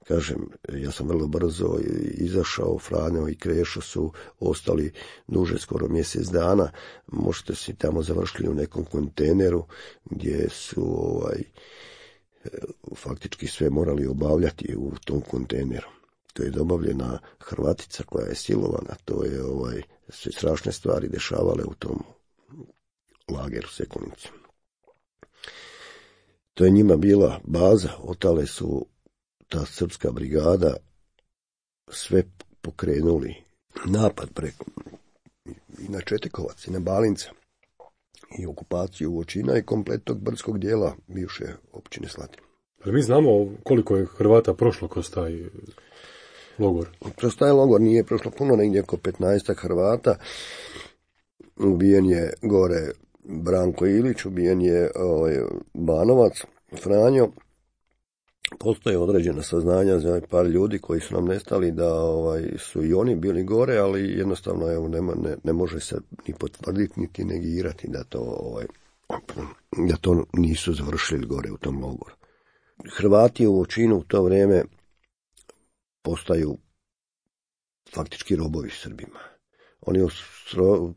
Kažem, ja sam vrlo brzo izašao, Franjo i Krešo su ostali duže, skoro mjesec dana, možete si tamo završili u nekom kontejneru gdje su ovaj, faktički sve morali obavljati u tom kontejneru. To je dobavljena Hrvatica koja je silovana, to je ovaj, sve strašne stvari dešavale u tom lageru Sekunici. To je njima bila baza, otale su ta srpska brigada sve pokrenuli napad preko i na Četikovac i na Balinca i okupaciju Voćina i kompletnog brdskog dijela bivše općine Slatina. Ali mi znamo koliko je Hrvata prošlo kroz taj logor? Kroz taj logor nije prošlo puno, negdje oko petnaestak Hrvata. Ubijen je gore Branko Ilić, ubijen je ovaj, Banovac, Franjo. Postoje određena saznanja za par ljudi koji su nam nestali da ovaj, su i oni bili gore, ali jednostavno evo, nema, ne, ne može se ni potvrditi niti negirati da to, ovaj, da to nisu završili gore u tom logoru. Hrvati u Voćinu u to vrijeme postaju faktički robovi Srbima. Oni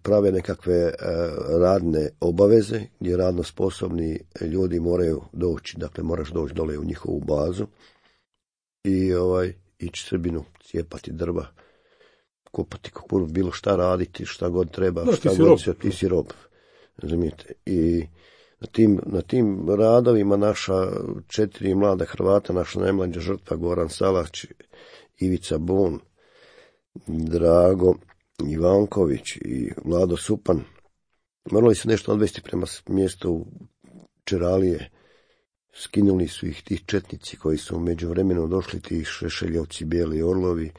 prave nekakve radne obaveze gdje radno sposobni ljudi moraju doći, dakle moraš doći dole u njihovu bazu i ovaj, ići Srbinu, cijepati drva, kopati kukuruz, bilo šta raditi, šta god treba, da, šta ti god si ti si rob. Razumijete? I na tim, na tim radovima naša četiri mlada Hrvata, naša najmlađa žrtva Goran Salać, Ivica Bon, Drago Ivanković i Vlado Supan, morali su nešto odvesti prema mjestu Čeralije. Skinuli su ih ti četnici koji su među vremenu došli, ti Šešeljovci, Bijeli Orlovi,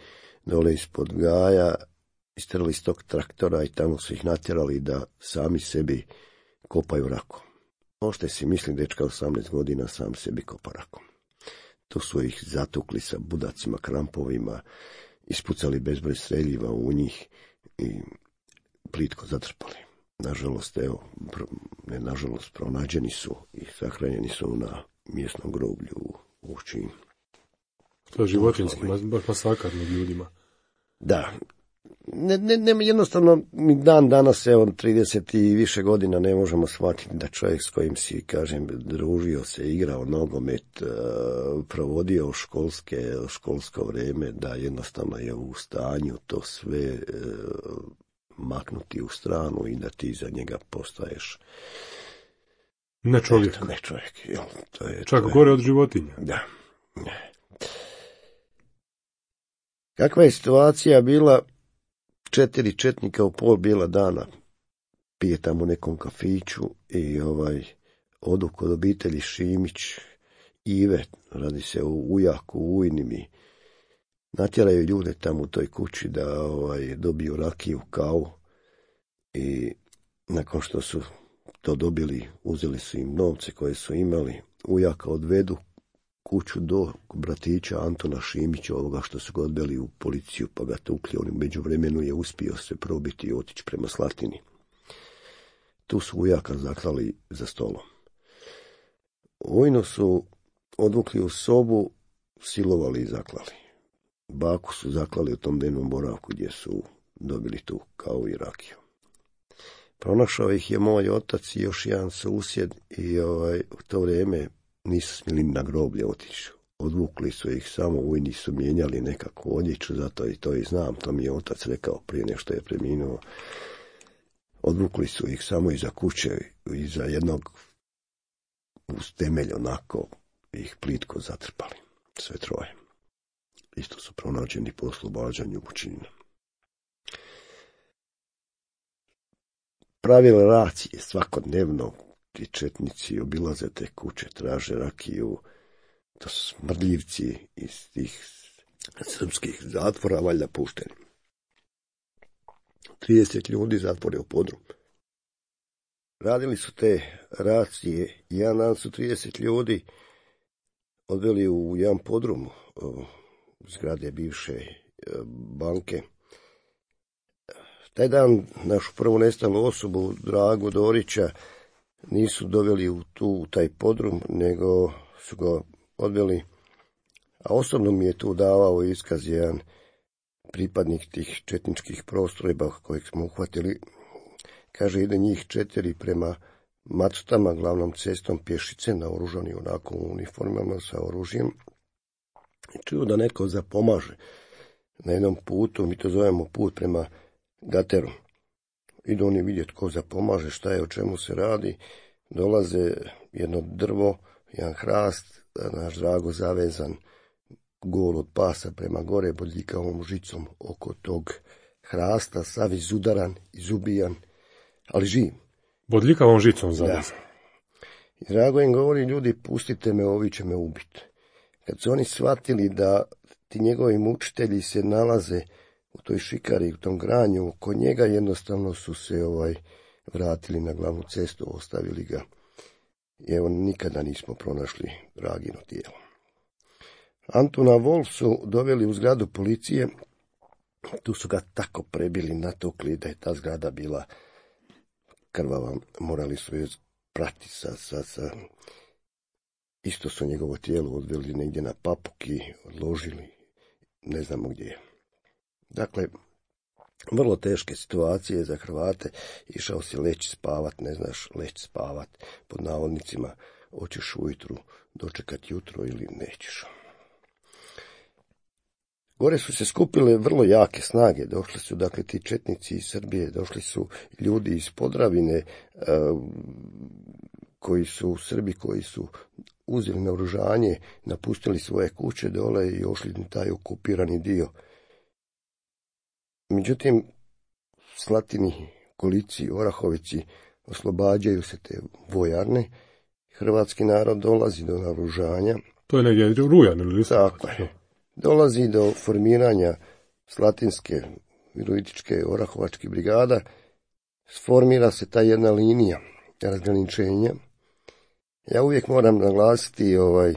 dole ispod Gaja, istrali iz tog traktora i tamo su ih natjerali da sami sebi kopaju rakom. Možete si misliti, dečka osamnaest godina sam sebi kopa rakom. Tu su ih zatukli sa budacima, krampovima, ispucali bezbroj streljiva u njih i plitko zatrpali. nažalost, evo, ne nažalost, pronađeni su i sahranjeni su na mjesnom groblju u Uščini. To je životinjski, baš masakar nad ljudima. Da. Ne, ne, ne, jednostavno, mi dan danas, evo, trideset i više godina ne možemo shvatiti da čovjek s kojim si, kažem, družio se, igrao nogomet, provodio školske, školsko vrijeme, da jednostavno je u stanju to sve maknuti u stranu i da ti za njega postaješ ne čovjek. Eto, ne čovjek, jel, to je, čak to je, gore od životinja. Da. Kakva je situacija bila? Četiri četnika u pol bijela dana pije tamo u nekom kafiću i ovaj odu kod obitelji Šimić, Ive, radi se o ujaku, ujnimi, natjeraju ljude tamo u toj kući da ovaj, dobiju rakiju, kavu i nakon što su to dobili, uzeli su im novce koje su imali, ujaka odvedu kuću do bratića Antona Šimića, ovoga što su ga odveli u policiju pa ga tukli, on u međuvremenu je uspio se probiti i otići prema Slatini. Tu su ujaka zaklali za stolom. Ujnu su odvukli u sobu, silovali i zaklali. Baku su zaklali u tom dnevnom boravku gdje su dobili tu kavu i rakiju. Pronašao ih je moj otac i još jedan susjed i ovaj, u to vrijeme nisu smjeli na groblje otići. Odvukli su ih samo, ujni su mijenjali nekakvu odjeću, zato i to i znam, to mi je otac rekao prije nešto je preminuo. Odvukli su ih samo iza kuće, iza jednog uz temelj onako, ih plitko zatrpali, sve troje. Isto su pronađeni po oslobađanju Bučinina. Pravile racije svakodnevno, ti četnici obilaze te kuće, traže rakiju, to su smrdljivci iz tih srpskih zatvora, valjda pušteni. trideset ljudi zatvore u podrum. Radili su te racije, jedan dan su trideset ljudi odveli u jedan podrum zgrade bivše banke. Taj dan našu prvu nestalu osobu, Dragu Dorića, nisu doveli u tu, u taj podrum, nego su ga odveli, a osobno mi je tu davao iskaz jedan pripadnik tih četničkih postrojba kojeg smo uhvatili. Kaže, ide njih četiri prema Macutama, glavnom cestom pješice, naoružani onako u uniformama sa oružjem. I čuju da netko zapomaže na jednom putu, mi to zovemo put prema Gateru. Idu oni vidjeti ko zapomaže, šta je, o čemu se radi. Dolaze jedno drvo, jedan hrast, naš Drago zavezan, gol od pasa prema gore, bodljikavom žicom oko tog hrasta, sav izudaran, izubijan, ali živ. Bodljikavom žicom zavezan. I Drago im govori, ljudi, pustite me, ovi će me ubiti. Kad su oni shvatili da ti njegovi mučitelji se nalaze u toj šikari, u tom granju, kod njega jednostavno su se ovaj vratili na glavnu cestu, ostavili ga. I evo, nikada nismo pronašli Dragino tijelo. Antuna Wolf su doveli u zgradu policije, tu su ga tako prebili, natukli da je ta zgrada bila krvava, morali su je prati sa, sa, sa... Isto su njegovo tijelo odveli negdje na Papuki, odložili, ne znamo gdje je. Dakle, vrlo teške situacije za Hrvate, išao si leći spavat, ne znaš leći spavat, pod navodnicima, hoćeš ujutru dočekat jutro ili nećeš. Gore su se skupile vrlo jake snage, došli su dakle ti četnici iz Srbije, došli su ljudi iz Podravine, koji su u Srbiji, koji su uzeli naoružanje, napustili svoje kuće dole i ošli na taj okupirani dio. Međutim, Slatini, Kolici, Orahovici oslobađaju se te vojarne, hrvatski narod dolazi do naoružanja. To je negdje rujan ili listopad. Tako je. Dolazi do formiranja Slatinske, Virovitičke, Orahovačke brigada, sformira se ta jedna linija razgraničenja. Ja uvijek moram naglasiti ovaj,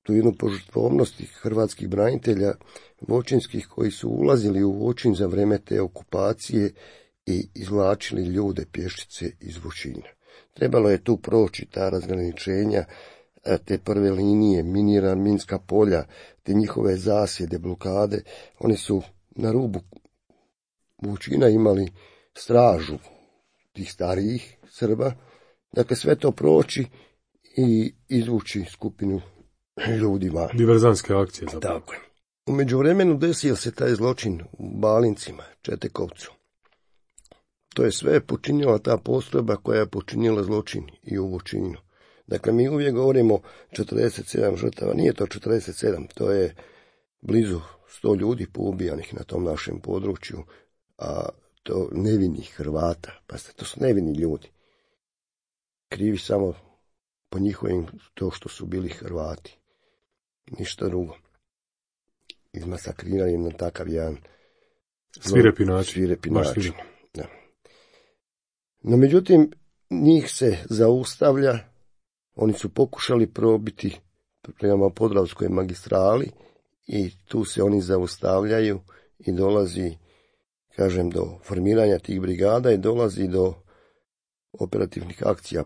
tu jednu požrtvovnost hrvatskih branitelja voćinskih koji su ulazili u Voćin za vrijeme te okupacije i izvlačili ljude pješice iz Vučina. Trebalo je tu proći ta razgraničenja, te prve linije, miniran minska polja, te njihove zasjede, blokade. Oni su na rubu Vučina imali stražu tih starijih Srba. Dakle, sve to proći i izvući skupinu ljudi van. Diverzanske akcije zapravo. Tako je. U međuvremenu desio se taj zločin u Balincima, Četekovcu. To je sve počinila ta postrojba koja je počinila zločin i u Vučinu. Dakle, mi uvijek govorimo četrdeset sedam žrtava, nije to četrdeset sedam, to je blizu sto ljudi poubijanih na tom našem području, a to nevinih Hrvata, pa to su nevini ljudi. Krivi samo po njihovim to što su bili Hrvati. Ništa drugo. Izmasakrirani na takav jedan svirepi način. Svirepi način. Da. No, međutim, njih se zaustavlja. Oni su pokušali probiti prema Podravskoj magistrali i tu se oni zaustavljaju i dolazi, kažem, do formiranja tih brigada i dolazi do operativnih akcija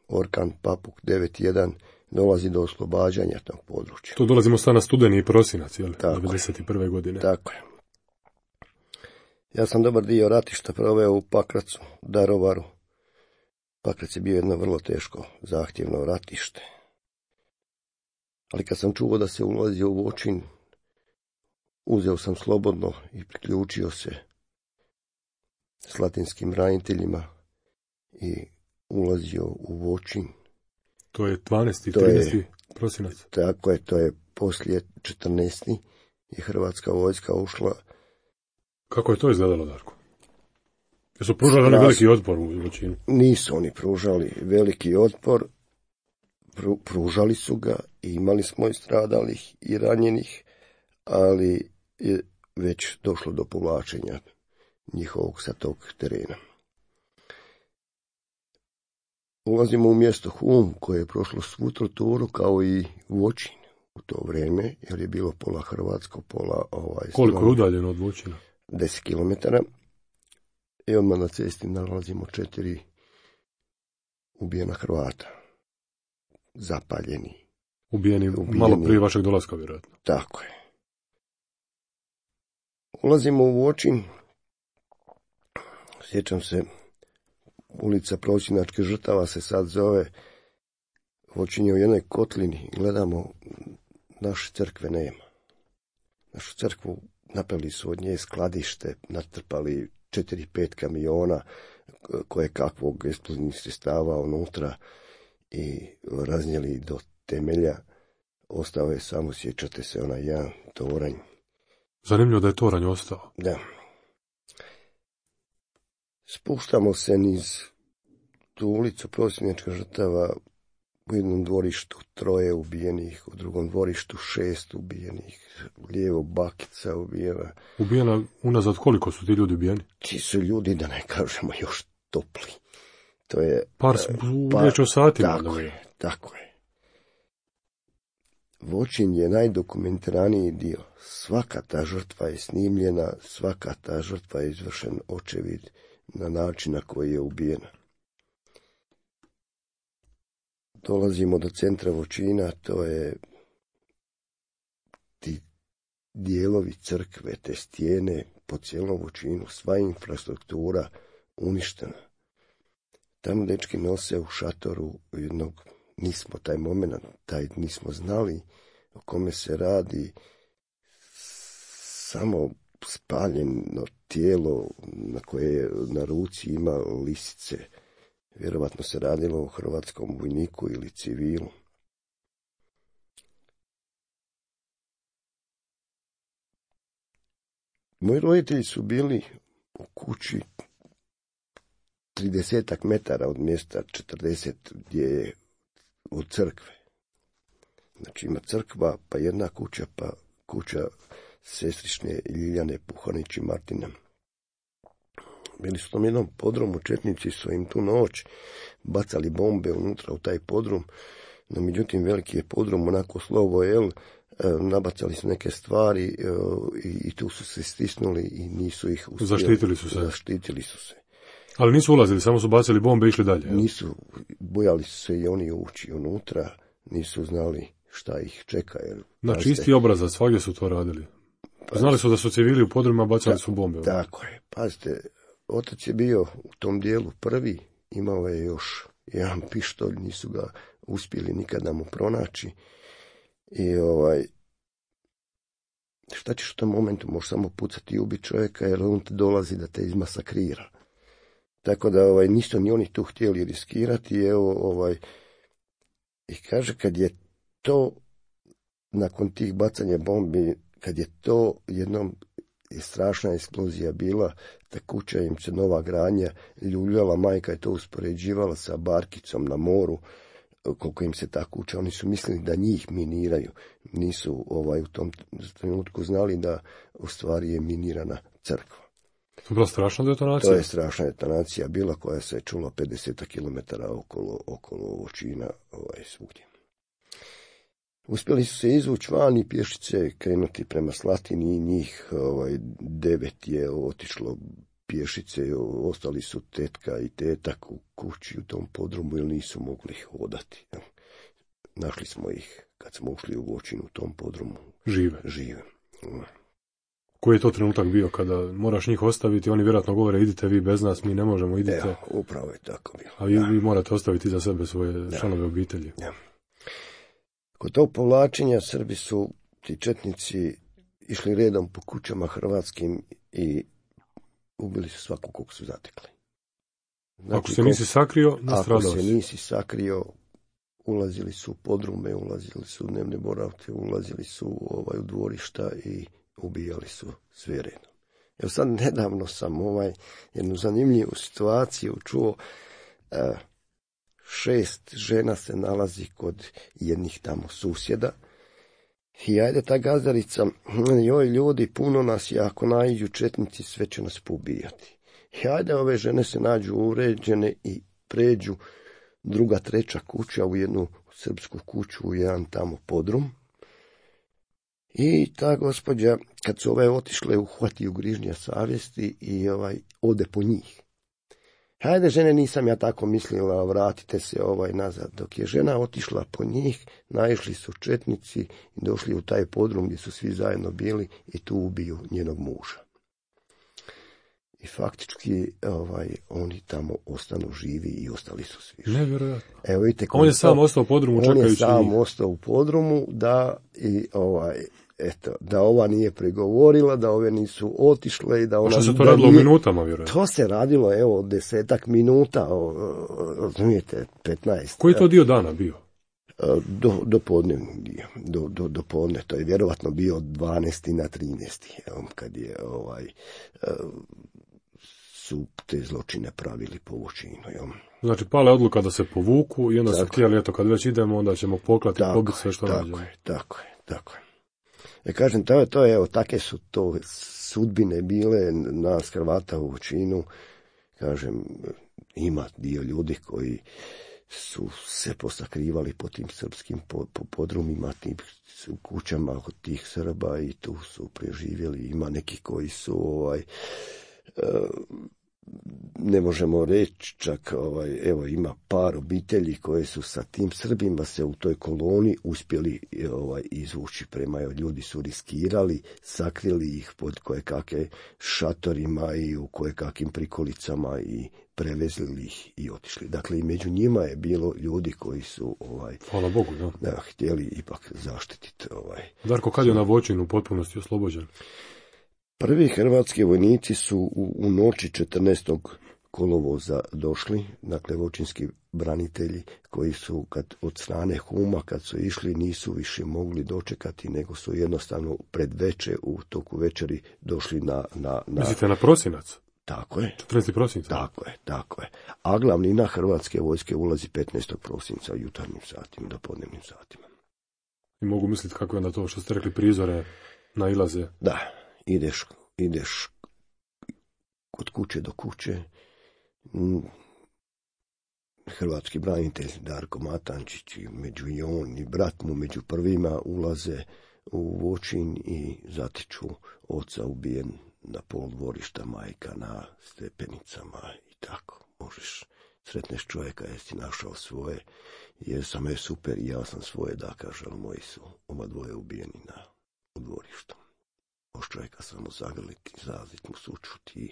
Orkan, Papuk, devet jedan, dolazi do oslobađanja tog područja. Tu dolazimo sad na studeni i prosinac, jel? Tako devedeset prve godine. Tako je. Ja sam dobar dio ratišta proveo u Pakracu, Darovaru. Pakrac je bio jedno vrlo teško, zahtjevno ratište. Ali kad sam čuo da se ulazi u Voćin, uzeo sam slobodno i priključio se slatinskim braniteljima i ulazio u Voćin. To je dvanaesti trinaesti prosinac. Tako je, to je poslije četrnaesti i hrvatska vojska ušla. Kako je to izgledalo, Darko? Jesu pružali oni veliki otpor u Voćinu? Nisu oni pružali veliki otpor, Pru, pružali su ga i imali smo i stradalih i ranjenih, ali je već došlo do povlačenja njihovog sa tog terena. Ulazimo u mjesto Hum, koje je prošlo svu torturu kao i Voćin u to vrijeme, jer je bilo pola hrvatsko, pola ovaj... Koliko je udaljeno od Voćina? deset kilometara. I odmah na cesti nalazimo četiri ubijena Hrvata. Zapaljeni. Ubijeni, ubijeni malo prije vašeg dolaska, vjerojatno. Tako je. Ulazimo u Voćin. Sjećam se, ulica Prosinačke žrtava se sad zove. Voćin je u jednoj kotlini. Gledamo, naše crkve nema. Našu crkvu napravili su od nje skladište, natrpali četiri pet kamiona koje kakvog eksplozivnih sredstava unutra i raznijeli do temelja. Ostao je samo, sjećate se, onaj jedan toranj. Zanimljivo da je toranj ostao. Da. Spuštamo se niz tu ulicu Prosinačka žrtava, u jednom dvorištu troje ubijenih, u drugom dvorištu šest ubijenih, lijevo bakica ubijena. Ubijena unazad koliko su ti ljudi ubijeni? Ti su ljudi, da ne kažemo, još topli. To je... Par, par riječ o satima. Tako je, tako je. Voćin je najdokumentiraniji dio. Svaka ta žrtva je snimljena, svaka ta žrtva je izvršen očevid na način na koji je ubijena. Dolazimo do centra Voćina, to je ti dijelovi crkve, te stijene po cijelom Voćinu, sva infrastruktura uništena. Tamo dečki nose u šatoru jednog, nismo taj moment, taj nismo znali o kome se radi, samo spaljeno tijelo na koje na ruci ima lisice. Vjerovatno se radilo o hrvatskom vojniku ili civilu. Moji roditelji su bili u kući tridesetak metara od mjesta četrdeset gdje je od crkve. Znači ima crkva, pa jedna kuća, pa kuća sestrične Ljiljane Puhanić i Martina. Bili su tom jednom podrumu, četnici su im tu noć bacali bombe unutra u taj podrum, no međutim veliki je podrum, onako slovo L, nabacali su neke stvari i tu su se stisnuli i nisu ih uspjeli. Zaštitili su se. Zaštitili su se. Ali nisu ulazili, samo su bacili bombe i išli dalje. Jel? Nisu, bojali su se i oni ući unutra, nisu znali šta ih čeka. Jer, na čisti obrazac, svagdje su to radili. Pa, znali su da su civili u podrumima, bacali ta, su bombe. Jel? Tako je, pazite, otac je bio u tom dijelu prvi, imao je još jedan pištolj, nisu ga uspjeli nikada mu pronaći. I ovaj, šta ćeš u tom momentu, možeš samo pucati i ubiti čovjeka, jer on te dolazi da te izmasakrira. Tako da ovaj, nisu ni oni tu htjeli riskirati. Evo, ovaj, i kaže, kad je to, nakon tih bacanja bombi, kad je to jednom strašna eksplozija bila, ta kuća im se nova gradnja ljuljala, majka je to uspoređivala sa barkicom na moru, koliko im se ta kuća, oni su mislili da njih miniraju. Nisu ovaj, u tom trenutku znali da u stvari je minirana crkva. To je bila strašna detonacija? To je strašna detonacija bila koja se je čula pedeset kilometara okolo, okolo Voćina, ovaj, svugdje. Uspjeli su se izvući van i pješice krenuti prema Slatini i njih ovaj, devet je otišlo pješice, ostali su tetka i tetak u kući u tom podrumu jer nisu mogli hodati. Našli smo ih kad smo ušli u Voćinu u tom podrumu. Žive? Žive. Koji je to trenutak bio kada moraš njih ostaviti, oni vjerojatno govore idite vi bez nas, mi ne možemo, idite. Evo, upravo je tako bilo. A vi, vi morate ostaviti za sebe svoje da. članove obitelji. Ja. Kod tog povlačenja Srbi su, ti četnici, išli redom po kućama hrvatskim i ubili su svaku kog su zatekli. Znači, ako se nisi sakrio, nastradao si. Ako se nisi sakrio, ulazili su u podrume, ulazili su u dnevne boravke, ulazili su ovaj, u dvorišta i ubijali su sve redom. Evo sad nedavno sam ovaj, jednu zanimljivu situaciju čuo. Uh, šest žena se nalazi kod jednih tamo susjeda. I ajde ta gazdarica, joj ljudi, puno nas je, ako naiđu četnici, sve će nas pobijati. I ajde ove žene se nađu uređene i pređu druga, treća kuća u jednu srpsku kuću, u jedan tamo podrum. I ta gospođa, kad su ove otišle, uhvati u grižnja savjesti i ovaj ode po njih. Hajde, žene, nisam ja tako mislila, vratite se ovaj nazad. Dok je žena otišla po njih, naišli su četnici i došli u taj podrum gdje su svi zajedno bili i tu ubiju njenog muža. I faktički ovaj, oni tamo ostanu živi i ostali su svi živi. Nevjerojatno. Evo, vidite, on je sam ostao u podrumu čekajući. On je sam njih. ostao u podrumu da i ovaj, eto, da ova nije pregovorila, da ove nisu otišle i da ona... A što se to radilo u minutama, vjerojatno? To se radilo, evo, desetak minuta, razumijete, petnaest. Koji je to dio dana bio? Do, do podnevni dio, do, do, do podne, to je vjerovatno bio dvanesti na trinaesti, evo, kad je ovaj... su te zločine pravili po Voćinu. Znači, pala je odluka da se povuku i onda tako su htjeli, eto, kad već idemo, onda ćemo poklati i pobiti sve što nađemo. Tako je, tako je, tako je. Ja kažem, to je, to je, evo, takve su to sudbine bile nas Hrvata u Voćinu. Kažem, ima dio ljudi koji su se posakrivali po tim srpskim po, po podrumima, tim kućama od tih Srba i tu su preživjeli. Ima neki koji su, ovaj, ne možemo reći čak, ovaj, evo, ima par obitelji koje su sa tim Srbima se u toj koloni uspjeli ovaj, izvući prema, ljudi su riskirali, sakrili ih pod kojekakve šatorima i u kojekakvim prikolicama i prevezli ih i otišli. Dakle, i među njima je bilo ljudi koji su ovaj, hvala Bogu, da. Da, htjeli ipak zaštititi. Ovaj. Darko, kad je na Voćinu u potpunosti oslobođen? Prvi hrvatski vojnici su u, u noći četrnaestog kolovoza došli, dakle voćinski branitelji koji su kad, od strane Huma kad su išli nisu više mogli dočekati, nego su jednostavno pred veče u toku večeri došli na... na, na... Mislite na prosinac? Tako je. četrnaesti prosinca? Tako je, tako je. A glavnina hrvatske vojske ulazi petnaestog prosinca u jutarnjim satima, do podnevnim satima. I mogu misliti kako je onda to što ste rekli prizore nailaze? Da. Ideš, ideš od kuće do kuće, hrvatski branitelj Darko Matančić i među i on i brat mu među prvima ulaze u Voćin i zatiču oca ubijen na pol dvorišta, majka na stepenicama i tako. sretneš čovjeka, jesi našao svoje, jer sam je super i ja sam svoje, da kaže, ali moji su oba dvoje ubijeni na u dvorištu. Možeš čovjeka samo zagrliti, zazit mu sučut i,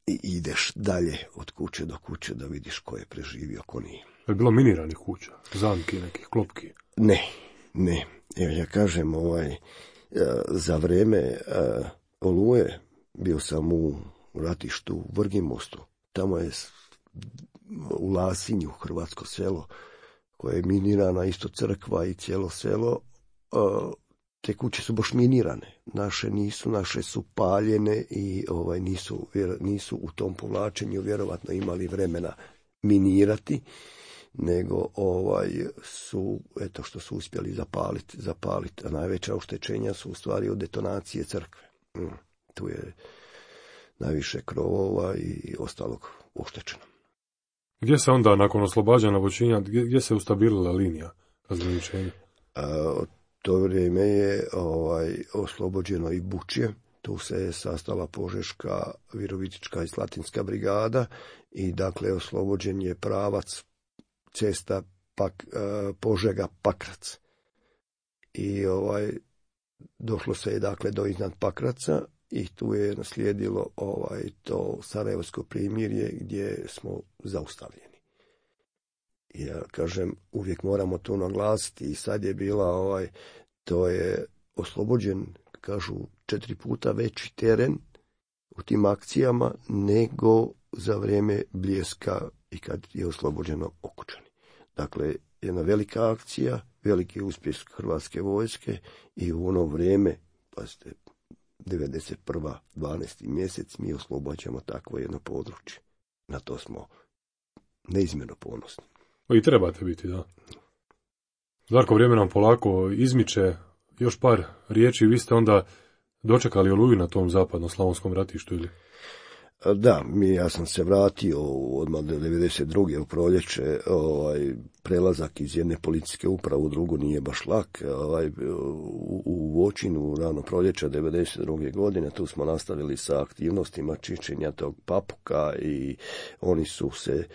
i ideš dalje od kuće do kuće da vidiš ko je preživio, ko nije. Je bilo miniranih kuća, zamki, nekih klopki? Ne, ne. Evo ja kažem, ovaj, za vrijeme Oluje bio sam u ratištu u Vrgimostu. Tamo je u Lasinju, hrvatsko selo, koje je minirana, isto crkva i cijelo selo. Te kuće su baš minirane. Naše nisu, naše su paljene i ovaj, nisu, nisu u tom povlačenju vjerovatno imali vremena minirati, nego ovaj su, eto što su uspjeli zapaliti, zapaliti, a najveća oštećenja su u stvari od detonacije crkve. Mm, tu je najviše krovova i ostalog oštećeno. Gdje se onda, nakon oslobađanja Voćinja, gdje, gdje se ustabilila linija razgraničenja? To vrijeme je ovaj, oslobođeno i Bučje. Tu se je sastala Požeška, Virovitička i Slatinska brigada i dakle oslobođen je pravac cesta pak, Požega Pakrac. I ovaj došlo se je dakle do iznad Pakraca i tu je naslijedilo ovaj to Sarajevsko primirje gdje smo zaustavljeni. Ja kažem, uvijek moramo to naglasiti i sad je bila ovaj, to je oslobođen, kažu, četiri puta veći teren u tim akcijama nego za vrijeme Bljeska i kad je oslobođeno Okučani. Dakle, jedna velika akcija, veliki uspjeh Hrvatske vojske i u ono vrijeme, pazite, devedeset prva dvanaesti mjesec, mi oslobađamo takvo jedno područje. Na to smo neizmjerno ponosni. I trebate biti, da. Darko, vrijeme nam polako izmiče. Još par riječi, vi ste onda dočekali Oluju na tom zapadno-slavonskom ratištu, ili? Da, mi, ja sam se vratio odmah do devedeset druge u proljeće. Ovaj, prelazak iz jedne policijske uprave u drugu nije baš lak. Ovaj, u, u Voćinu rano proljeća devedeset druge godine tu smo nastavili sa aktivnostima čišćenja tog Papuka i oni su se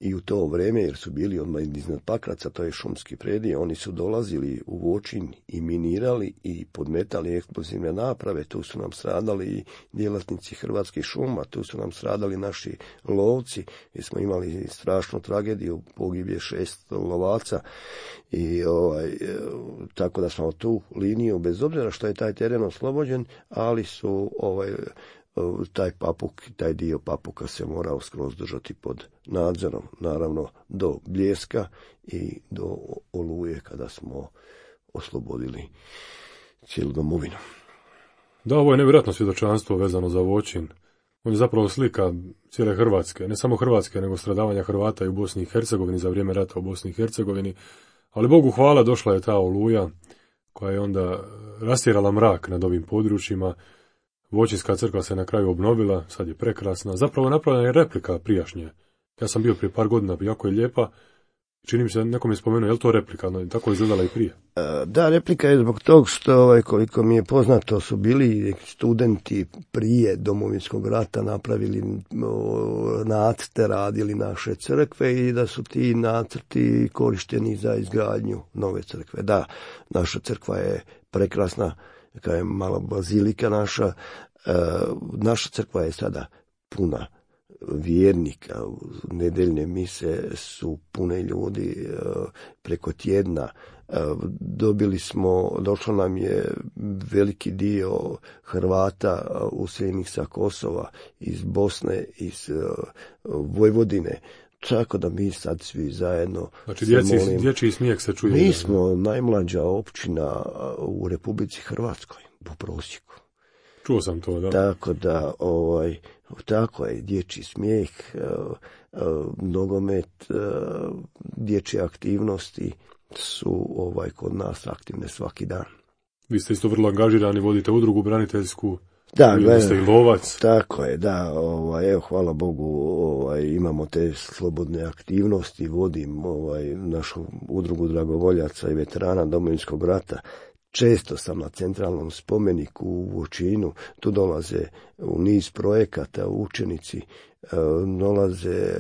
i u to vrijeme, jer su bili odmah iznad Pakraca, to je šumski predije, oni su dolazili u Voćin i minirali i podmetali eksplozivne naprave. Tu su nam stradali i djelatnici Hrvatskih šuma, tu su nam stradali naši lovci, jer smo imali strašnu tragediju, pogibje šest lovaca i ovaj, tako da smo tu liniju, bez obzira što je taj teren oslobođen, ali su ovaj taj Papuk, taj dio Papuka se morao skroz držati pod nadzorom, naravno do Bljeska i do Oluje kada smo oslobodili cijelu domovinu. Da, ovo je nevjerojatno svjedočanstvo vezano za Voćin. On je zapravo slika cijele Hrvatske, ne samo Hrvatske, nego stradavanja Hrvata i u Bosni i Hercegovini za vrijeme rata u Bosni i Hercegovini. Ali Bogu hvala, došla je ta Oluja koja je onda rastjerala mrak nad ovim područjima. Voćinska crkva se na kraju obnovila, sad je prekrasna. Zapravo je napravljena je replika prijašnje. Ja sam bio prije par godina, jako je lijepa. Čini mi se, nekom je spomenuo, je li to replika? No, tako je izgledala i prije. Da, replika je zbog tog što, ovaj, koliko mi je poznato, su bili studenti prije Domovinskog rata napravili o, nacrte, radili naše crkve i da su ti nacrti korišteni za izgradnju nove crkve. Da, naša crkva je prekrasna, kao je mala bazilika naša. E, naša crkva je sada puna vjernika, nedeljne mise su pune ljudi preko tjedna. Dobili smo, došlo nam je veliki dio Hrvata useljenih sa Kosova, iz Bosne, iz Vojvodine. Tako da mi sad svi zajedno... Znači djeci, dječji smijeh se čuje. Mi smo najmlađa općina u Republici Hrvatskoj, po prosjeku. Čuo sam to, da. Tako da, ovaj, tako je, dječji smijeh, nogomet, dječje aktivnosti su ovaj kod nas aktivne svaki dan. Vi ste isto vrlo angažirani, vodite udrugu braniteljsku, da, vi ste i lovac. Tako je, da, ovaj, evo, hvala Bogu, ovaj, imamo te slobodne aktivnosti, vodim ovaj, našu udrugu dragovoljaca i veterana Domovinskog rata. Često sam na centralnom spomeniku u Voćinu, tu dolaze u niz projekata učenici dolaze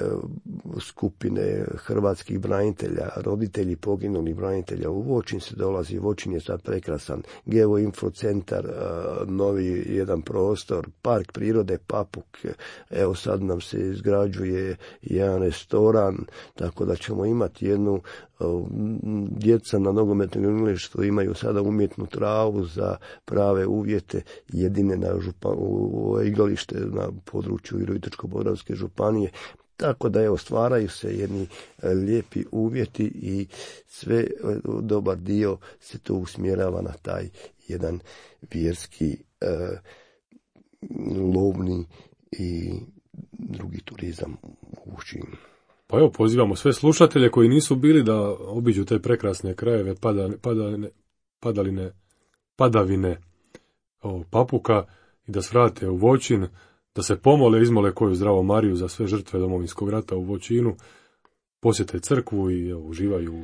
skupine hrvatskih branitelja, roditelji poginulih branitelja. U Voćin se dolazi, Voćin je sad prekrasan, geoinfocentar, novi jedan prostor, park prirode Papuk, evo sad nam se izgrađuje jedan restoran, tako da ćemo imati jednu, djeca na nogometnom igralištu imaju sada umjetnu travu za prave uvjete, jedine na župan, u igralište na području Virovitičko-podravske županije. Tako da evo, stvaraju se jedni lijepi uvjeti i sve, dobar dio se to usmjerava na taj jedan vjerski, eh, lovni i drugi turizam u Voćinu. Pa evo, pozivamo sve slušatelje koji nisu bili da obiđu te prekrasne krajeve pada, padaline, padaline, padavine o, Papuka i da svrate u Voćin, da se pomole, izmole koju zdravo Mariju za sve žrtve Domovinskog rata u Voćinu, posjete crkvu i evo, uživaju u,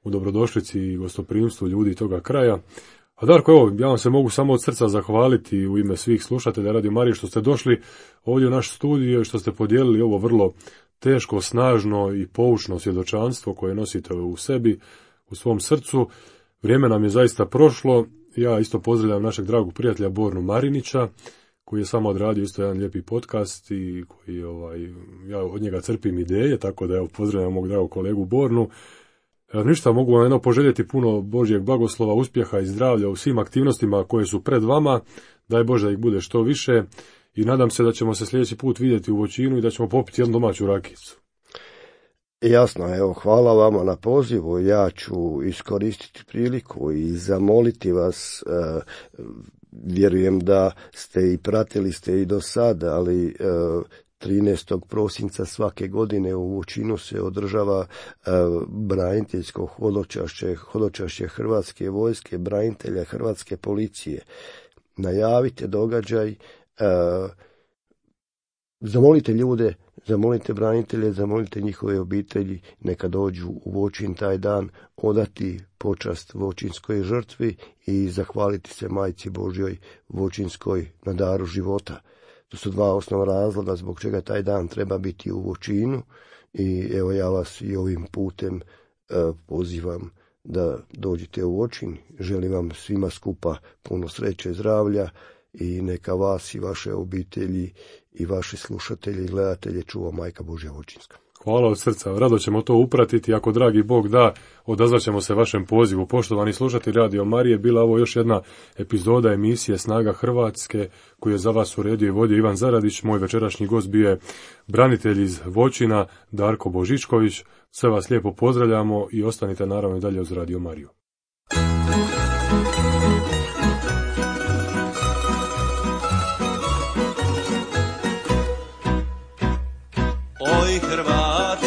u dobrodošlici i gostoprimstvu ljudi toga kraja. A Darko, evo, ja vam se mogu samo od srca zahvaliti u ime svih slušatelja Radio Marije što ste došli ovdje u naš studio i što ste podijelili ovo vrlo teško, snažno i poučno svjedočanstvo koje nosite u sebi, u svom srcu. Vrijeme nam je zaista prošlo. Ja isto pozdravljam našeg dragog prijatelja Bornu Marinića, koji je samo odradio isto jedan lijepi podcast i koji, ovaj, ja od njega crpim ideje, tako da evo, pozdravljam mog dragog kolegu Bornu. E, ništa, mogu vam jedno poželjeti puno Božjeg blagoslova, uspjeha i zdravlja u svim aktivnostima koje su pred vama. Daj Bože da ih bude što više. I nadam se da ćemo se sljedeći put vidjeti u Voćinu i da ćemo popiti jednu domaću rakicu. Jasno, evo, hvala vama na pozivu. Ja ću iskoristiti priliku i zamoliti vas, e, vjerujem da ste i pratili ste i do sada, ali e, trinaestog prosinca svake godine u Voćinu se održava e, braniteljsko hodočašće, hodočašće Hrvatske vojske, branitelja Hrvatske policije. Najavite događaj, Uh, zamolite ljude, zamolite branitelje, zamolite njihove obitelji, neka dođu u Voćin taj dan, odati počast voćinskoj žrtvi i zahvaliti se Majci Božjoj Voćinskoj na daru života. To su dva osnovna razloga zbog čega taj dan treba biti u Voćinu i evo, ja vas i ovim putem uh, pozivam da dođete u Voćin. Želim vam svima skupa puno sreće, zdravlja i neka vas i vaše obitelji i vaši slušatelji i gledatelje čuva Majka Božja Voćinska. Hvala od srca, rado ćemo to upratiti, ako dragi Bog da, odazvaćemo se vašem pozivu. Poštovani slušatelji Radio Marije, bila ovo još jedna epizoda emisije Snaga Hrvatske, koju je za vas uredio i vodio Ivan Zaradić. Moj večerašnji gost bio je branitelj iz Voćina, Darko Božičković. Sve vas lijepo pozdravljamo i ostanite naravno i dalje uz Radio Mariju. Oj Hrvati,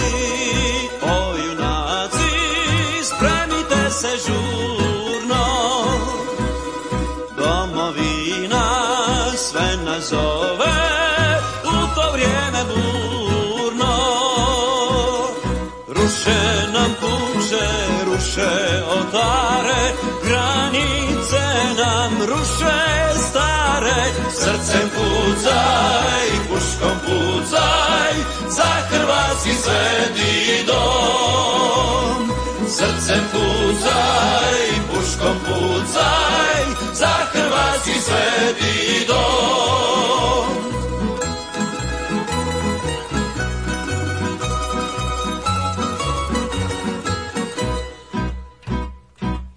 oj junaci, spremite se žurno, domovina sve nas zove u to vrijeme burno. Ruše nam kuće, ruše oltare, granice nam ruše stare, srcem pucaj, puškom pucaj, za hrvatski sveti dom. Srcem pucaj, puškom pucaj, za hrvatski sveti dom.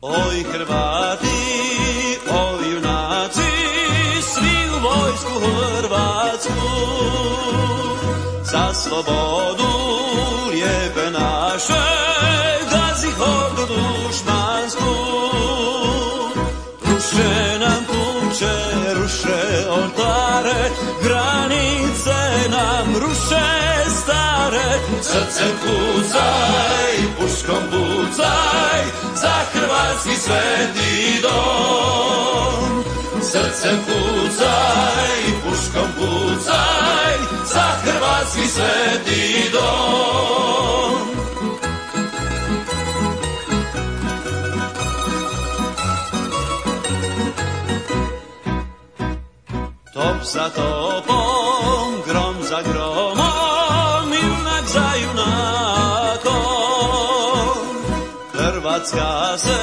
Oj Hrvati, oj junaci, svi u vojsku hrvatsku, za slobodu lijepe naše, gazi hordu dušmansku. Ruše nam kuće, ruše oltare, granice nam ruše stare, srcem pucaj, puškom pucaj, za hrvatski sveti dom. Srcem pucaj, puškom pucaj, za hrvatski sveti dom. Top za topom, grom za gromom, junak za junakom. Hrvatska se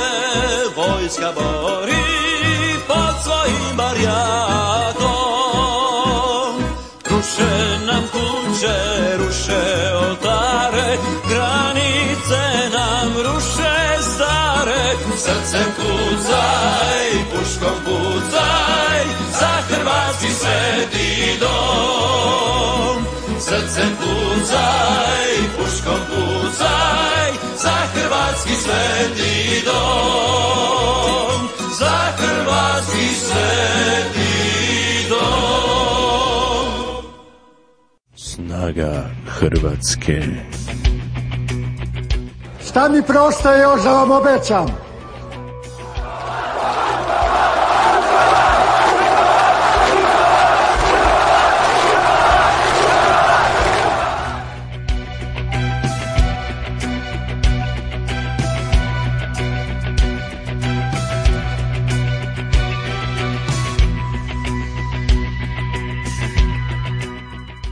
vojska bori pod svojim barjakom. Ruše nam kuće, ruše oltare, granice nam ruše stare. Srcem kucaj, puškom pucaj, za hrvatski sveti dom. Srcem kucaj, puškom pucaj, za hrvatski sveti dom. Za hrvatski sveti dom. Snaga Hrvatske. Šta mi preostaje još da vam obećam?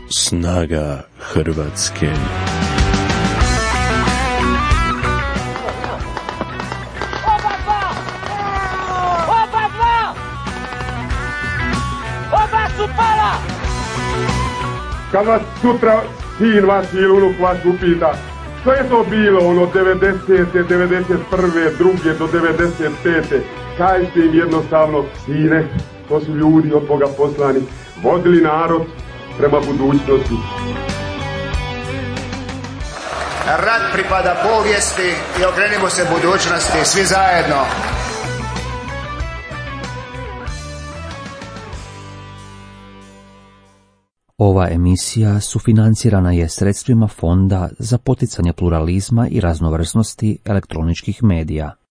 Snaga Hrvatske. Oba dva! Oba dva! Oba su pala! Kad vas sutra sin vaš ili unuk vaš upita što je to bilo ono devedesete, devedeset prve, druge do devedeset pete, kažite im jednostavno, sine, to su ljudi od Boga poslani, vodili narod prema budućnosti. Rat pripada povijesti i okrenimo se budućnosti, svi zajedno. Ova emisija sufinancirana je sredstvima Fonda za poticanje pluralizma i raznovrsnosti elektroničkih medija.